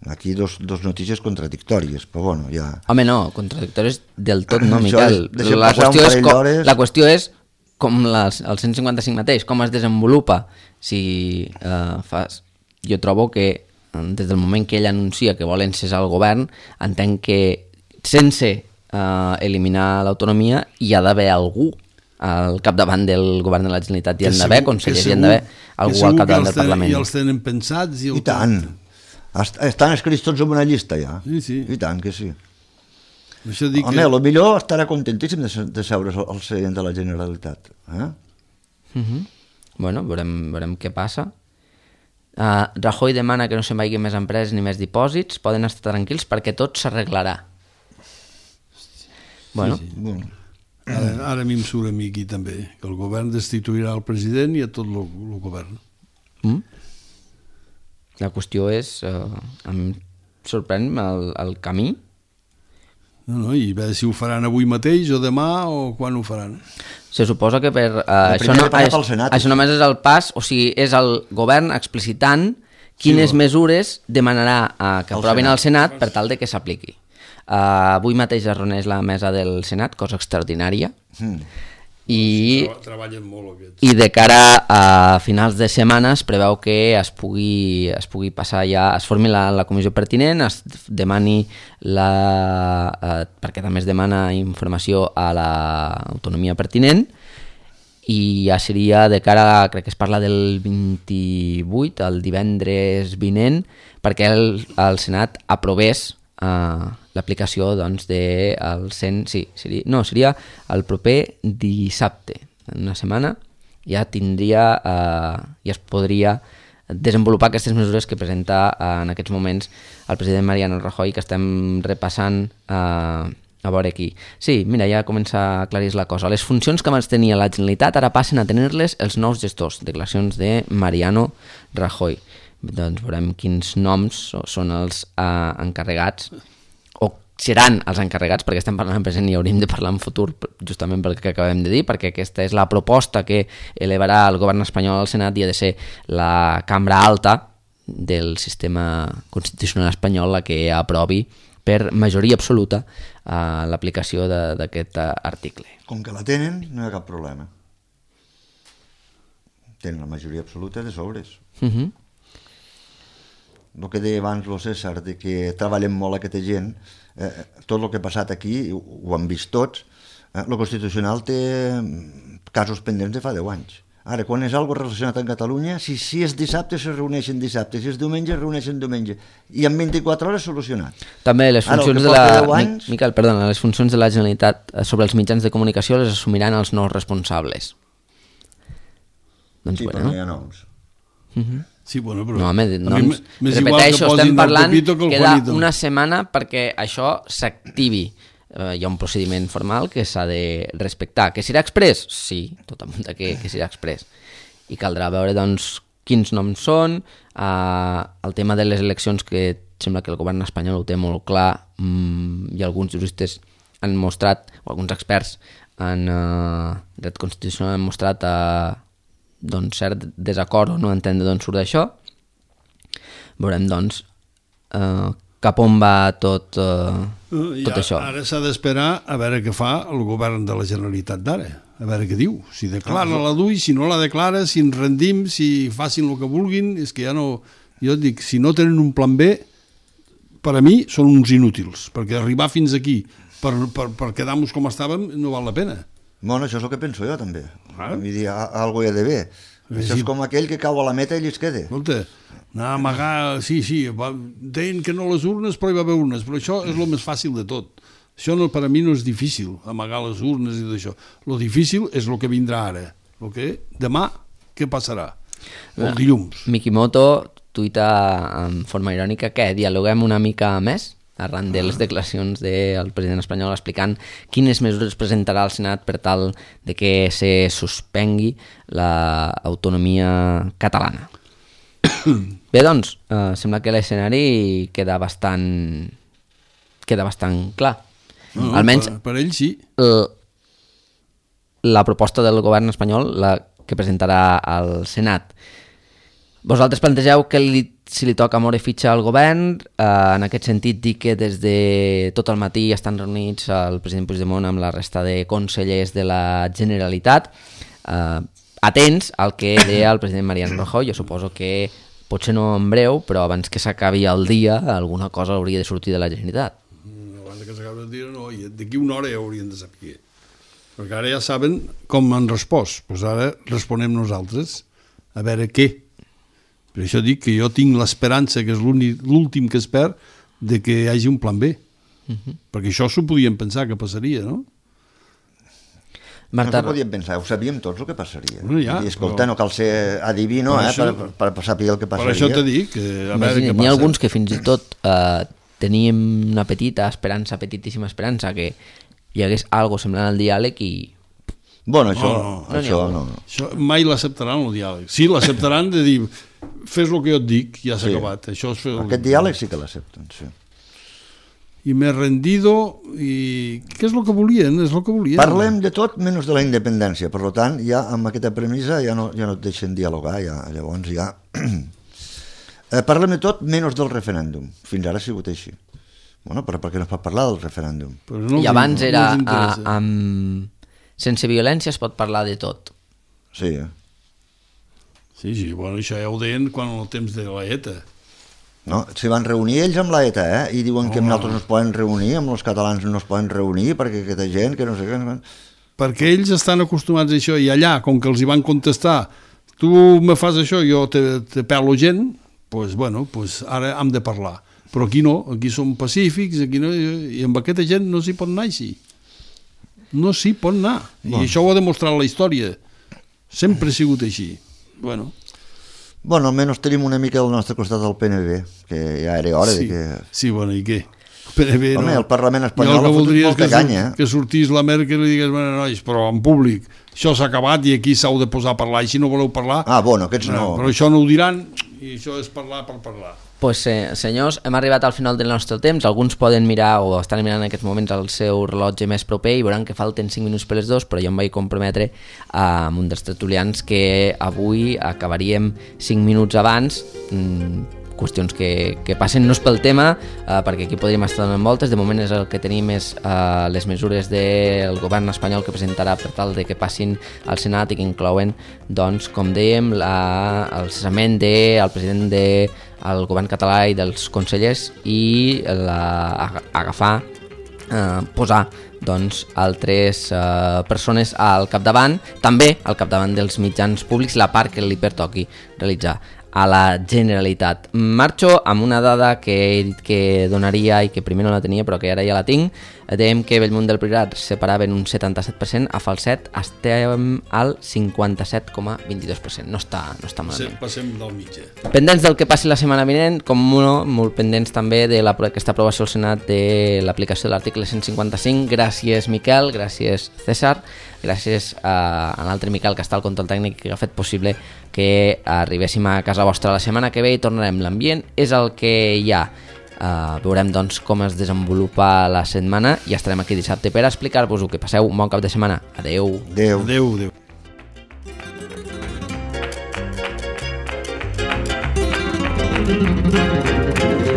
Speaker 2: Aquí dos, dos notícies contradictòries, però bueno, ja...
Speaker 1: Home, no, contradictòries del tot no,
Speaker 2: Això
Speaker 1: Miquel.
Speaker 2: és- deixem
Speaker 1: La
Speaker 2: passar un
Speaker 1: qüestió, és
Speaker 2: parell
Speaker 1: com,
Speaker 2: d'hores.
Speaker 1: la qüestió és com les, el cent cinquanta-cinc mateix, com es desenvolupa. Si eh, fas... Jo trobo que eh, des del moment que ell anuncia que volen cessar el govern, entenc que sense eh, eliminar l'autonomia hi ha d'haver algú al capdavant del govern de la Generalitat. Hi
Speaker 3: Que
Speaker 1: han d'haver
Speaker 3: segur-
Speaker 1: consellers,
Speaker 3: que
Speaker 1: hi han d'haver
Speaker 3: segur-
Speaker 1: algú
Speaker 3: que
Speaker 1: al
Speaker 3: segur que
Speaker 1: capdavant
Speaker 3: els
Speaker 1: del
Speaker 3: tenen-
Speaker 1: Parlament.
Speaker 3: I els tenen pensats. I, el
Speaker 2: I tant. Est- Estan escrits tots en una llista ja.
Speaker 3: Sí, sí.
Speaker 2: I tant que sí.
Speaker 3: Això dic
Speaker 2: Home,
Speaker 3: que...
Speaker 2: a lo millor estarà contentíssim de, se- de seure al seient de la Generalitat. Eh?
Speaker 1: Uh-huh. Bueno, veurem, veurem què passa. Uh, Rajoy demana que no se'n vagin més empreses ni més dipòsits, poden estar tranquils perquè tot s'arreglarà. Bueno,
Speaker 3: Sí, sí.
Speaker 2: Bueno,
Speaker 3: Ara, ara a mi em surt a mi aquí també, que el govern destituirà el president i a tot el, el govern.
Speaker 1: mm? La qüestió és, uh, em sorprèn el, el camí.
Speaker 3: No, no, i a veure si ho faran avui mateix o demà o quan ho faran.
Speaker 1: Se suposa que per... Uh, això,
Speaker 2: primer
Speaker 1: no,
Speaker 2: passar
Speaker 1: és,
Speaker 2: pel Senat,
Speaker 1: això només és el pas, o sigui, és el govern explicitant quines
Speaker 3: Sí,
Speaker 1: mesures demanarà uh, que
Speaker 2: Al
Speaker 1: aprovin
Speaker 2: Senat.
Speaker 1: al Senat per tal de que s'apliqui. Uh, avui mateix es reuneix la mesa del Senat, cosa extraordinària,
Speaker 2: mm.
Speaker 1: i,
Speaker 3: Treballen molt aquests.
Speaker 1: i de cara a finals de setmana es preveu que es pugui, es pugui passar ja, es formi la, la comissió pertinent, es demani la... Eh, perquè també es demana informació a l'autonomia pertinent, i ja seria de cara, crec que es parla del vint-i-vuit, el divendres vinent, perquè el, el Senat aprovés uh, l'aplicació doncs, de el cent... Sí, seria, no, seria el proper dissabte, en una setmana, ja tindria, uh, ja es podria desenvolupar aquestes mesures que presenta uh, en aquests moments el president Mariano Rajoy, que estem repassant uh, a veure aquí. Sí, mira, ja comença a aclarir la cosa. Les funcions que abans tenia la Generalitat ara passen a tenir-les els nous gestors. Declaracions de Mariano Rajoy. Doncs veurem quins noms són els uh, encarregats, o seran els encarregats, perquè estem parlant en present i hauríem de parlar en futur, justament pel que acabem de dir, perquè aquesta és la proposta que elevarà el govern espanyol al Senat i ha de ser la cambra alta del sistema constitucional espanyol la que aprovi per majoria absoluta uh, l'aplicació d'aquest uh, article.
Speaker 2: Com que la tenen, no hi ha cap problema. Tenen la majoria absoluta de sobres.
Speaker 1: Uh -huh.
Speaker 2: el que deia abans el César, de que treballem molt aquesta gent, eh, tot el que ha passat aquí, ho, ho han vist tots, eh, el Constitucional té casos pendents de fa deu anys. Ara, quan és algo relacionat amb Catalunya, si, si és dissabte, se reuneixen dissabte, si és diumenge, es reuneixen diumenge, i en vint-i-quatre hores solucionat.
Speaker 1: També les
Speaker 2: Ara,
Speaker 1: funcions
Speaker 2: que
Speaker 1: de la...
Speaker 2: porta deu anys-
Speaker 1: Miquel, perdona, les funcions de la Generalitat sobre els mitjans de comunicació les assumiran els nous responsables. Doncs
Speaker 2: Sí, però
Speaker 1: bueno.
Speaker 2: no hi ha noms.
Speaker 3: Sí, bueno, però...
Speaker 1: No, home,
Speaker 3: a mi
Speaker 1: noms,
Speaker 3: m'és igual que
Speaker 1: repeteixo,
Speaker 3: posin
Speaker 1: estem
Speaker 3: el
Speaker 1: parlant,
Speaker 3: Pepito que el
Speaker 1: queda
Speaker 3: Juanito.
Speaker 1: una setmana perquè això s'activi. Uh, hi ha un procediment formal que s'ha de respectar. Que serà express? Sí, tot apunta que, que serà express. I caldrà veure, doncs, quins noms són, uh, el tema de les eleccions, que sembla que el govern espanyol ho té molt clar, um, i alguns juristes han mostrat, o alguns experts en uh, dret constitucional han mostrat uh, doncs, cert desacord o no entendre d'on surt això. Veurem, doncs, uh, cap on va tot, uh,
Speaker 3: Uh,
Speaker 1: tot
Speaker 3: ja,
Speaker 1: això.
Speaker 3: Ara s'ha d'esperar a veure què fa el govern de la Generalitat d'ara, a veure què diu, si declara la D U I, si no la declara, si ens rendim, si facin el que vulguin, és que ja no... Jo et dic, si no tenen un plan B, per a mi són uns inútils, perquè arribar fins aquí per, per, per quedar-nos com estàvem no val la pena.
Speaker 2: Bueno, això és el que penso jo, també.
Speaker 3: Ah.
Speaker 2: Vull dir, a- algo hi ha d'haver. Això és com aquell que cau a la meta i allí es queda.
Speaker 3: Escolta, anar a amagar... Sí, sí, va, deien que no les urnes, però hi va haver urnes, però això és el més fàcil de tot. Això no, per a mi no és difícil, amagar les urnes i tot això. Lo difícil és el que vindrà ara. El que demà, què passarà? El dilluns.
Speaker 1: Mikimoto tuita en forma irònica que dialoguem una mica més arran de les declaracions del president espanyol explicant quines mesures presentarà al Senat per tal de que se suspengui l'autonomia catalana. Bé, doncs, eh, sembla que l'escenari queda bastant queda bastant clar.
Speaker 3: No,
Speaker 1: Almenys
Speaker 3: per, per ell sí.
Speaker 1: l- la proposta del govern espanyol, la que presentarà al Senat. Vosaltres plantegeu que li, si li toca moure fitxa al govern, eh, en aquest sentit dir que des de tot el matí estan reunits el president Puigdemont amb la resta de consellers de la Generalitat, eh, atents al que deia el president Mariano Rajoy. Jo suposo que potser no en breu, però abans que s'acabi el dia alguna cosa hauria de sortir de la Generalitat.
Speaker 3: Abans que s'acabi el dia, no, i d'aquí una hora ja haurien de saber. Perquè ara ja saben com han respost. Doncs ara responem nosaltres a veure què. Per això dic que jo tinc l'esperança, que és l'únic- l'últim que es perd, de que hi hagi un plan B. Uh-huh. Perquè això s'ho podien pensar que passaria, no?
Speaker 1: Marta,
Speaker 2: No ho podíem pensar, ho sabíem tots el que passaria.
Speaker 3: Bueno, ja,
Speaker 2: I escolta,
Speaker 3: però-
Speaker 2: no cal ser adivino
Speaker 3: Per
Speaker 2: eh,
Speaker 3: això-
Speaker 2: per, per, per saber el que
Speaker 3: Per
Speaker 2: passaria.
Speaker 3: això t'he dit que a veure
Speaker 1: imagina't,
Speaker 3: què
Speaker 1: n'hi ha
Speaker 3: passa.
Speaker 1: alguns que fins i tot eh, teníem una petita esperança, petitíssima esperança, que hi hagués algo semblant al diàleg i...
Speaker 2: Bueno, això
Speaker 3: No,
Speaker 2: no,
Speaker 3: no,
Speaker 2: això
Speaker 1: no n'hi ha
Speaker 2: no. no.
Speaker 3: Això mai l'acceptaran, el diàleg. Sí, l'acceptaran de dir, fes el que jo et dic, ja s'ha
Speaker 2: Sí.
Speaker 3: acabat. Això és fer el...
Speaker 2: Aquest diàleg sí que l'accepten, sí.
Speaker 3: I m'he rendido, i què és el que volien? És el que volien.
Speaker 2: Parlem de tot menys de la independència, per tant, ja amb aquesta premissa ja no, ja no et deixen dialogar, ja, llavors ja... eh, parlem de tot menys del referèndum. Fins ara ha sigut així. Bueno, però per què no es pot parlar del referèndum?
Speaker 3: Però no
Speaker 1: I
Speaker 3: els-
Speaker 1: abans
Speaker 3: no
Speaker 1: era...
Speaker 3: els
Speaker 1: a,
Speaker 3: interessa.
Speaker 1: amb... Sense violència es pot parlar de tot.
Speaker 2: Sí, eh?
Speaker 3: Sí, sí, bueno, això ja ho deien quan el temps de la ETA.
Speaker 2: No, s'hi van reunir ells amb la ETA, eh? I diuen que amb
Speaker 3: Home.
Speaker 2: nosaltres no es poden reunir, amb els catalans no es poden reunir, perquè aquesta gent, que no sé què... no sé-
Speaker 3: Perquè ells estan acostumats a això, i allà, com que els hi van contestar, tu me fas això, jo te, te pelo gent, doncs, bueno, pues ara hem de parlar. Però aquí no, aquí som pacífics, aquí no, i amb aquesta gent no s'hi pot anar així. No s'hi pot anar. I
Speaker 2: Bueno.
Speaker 3: això ho ha demostrat la història. Sempre ha sigut així. Bueno,
Speaker 2: Bueno, almenys tenim una mica al nostre costat del P N B, que ja era hora
Speaker 3: sí,
Speaker 2: de que...
Speaker 3: sí, bueno, i què? P N B,
Speaker 2: Home,
Speaker 3: no.
Speaker 2: el Parlament
Speaker 3: Jo
Speaker 2: espanyol
Speaker 3: el
Speaker 2: ha
Speaker 3: que
Speaker 2: fotut
Speaker 3: voldria és
Speaker 2: molta
Speaker 3: que, sur-
Speaker 2: canya, eh?
Speaker 3: que sortís la Merkel i digués, bueno, nois, però en públic, això s'ha acabat i aquí s'heu de posar a parlar, i si no voleu parlar...
Speaker 2: Ah, bueno, aquests no.
Speaker 3: Però això no ho diran, i això és parlar per parlar.
Speaker 1: Pues, eh, senyors, hem arribat al final del nostre temps. Alguns poden mirar o estan mirant en aquests moments el seu rellotge més proper i veuran que falten cinc minuts per les dos, però jo em vaig comprometre amb un dels tertulians que avui acabaríem cinc minuts abans, mmm, qüestions que, que passen. No és pel tema, eh, perquè aquí podríem estar donant voltes. De moment és el que tenim és eh, les mesures del govern espanyol que presentarà per tal de que passin al Senat i que inclouen, doncs, com dèiem, la, el cessament del president del govern català i dels consellers i la, agafar, eh, posar doncs, altres eh, persones al capdavant, també al capdavant dels mitjans públics, la part que li pertoqui realitzar a la Generalitat. Marxo amb una dada que he dit que donaria i que primer no la tenia però que ara ja la tinc. Dèiem que Bellmunt del Priorat separava en un setanta-set per cent, a Falset estem al cinquanta-set coma vint-i-dos per cent. No està, no està malament.
Speaker 3: Passem del mitjà.
Speaker 1: Pendents del que passi la setmana vinent, com no, molt pendents també de la, aquesta aprovació al Senat de l'aplicació de l'article cent cinquanta-cinc. Gràcies, Miquel, gràcies, César, gràcies a, a l'altre Miquel que està al control tècnic que ha fet possible que arribéssim a casa vostra la setmana que ve i tornarem. L'ambient és el que hi ha. Uh, veurem doncs com es desenvolupa la setmana i estarem aquí dissabte per explicar-vos-ho. Que passeu un bon cap de setmana. Adeu.
Speaker 2: Adeu.
Speaker 3: Adeu, adeu.
Speaker 4: Thank you.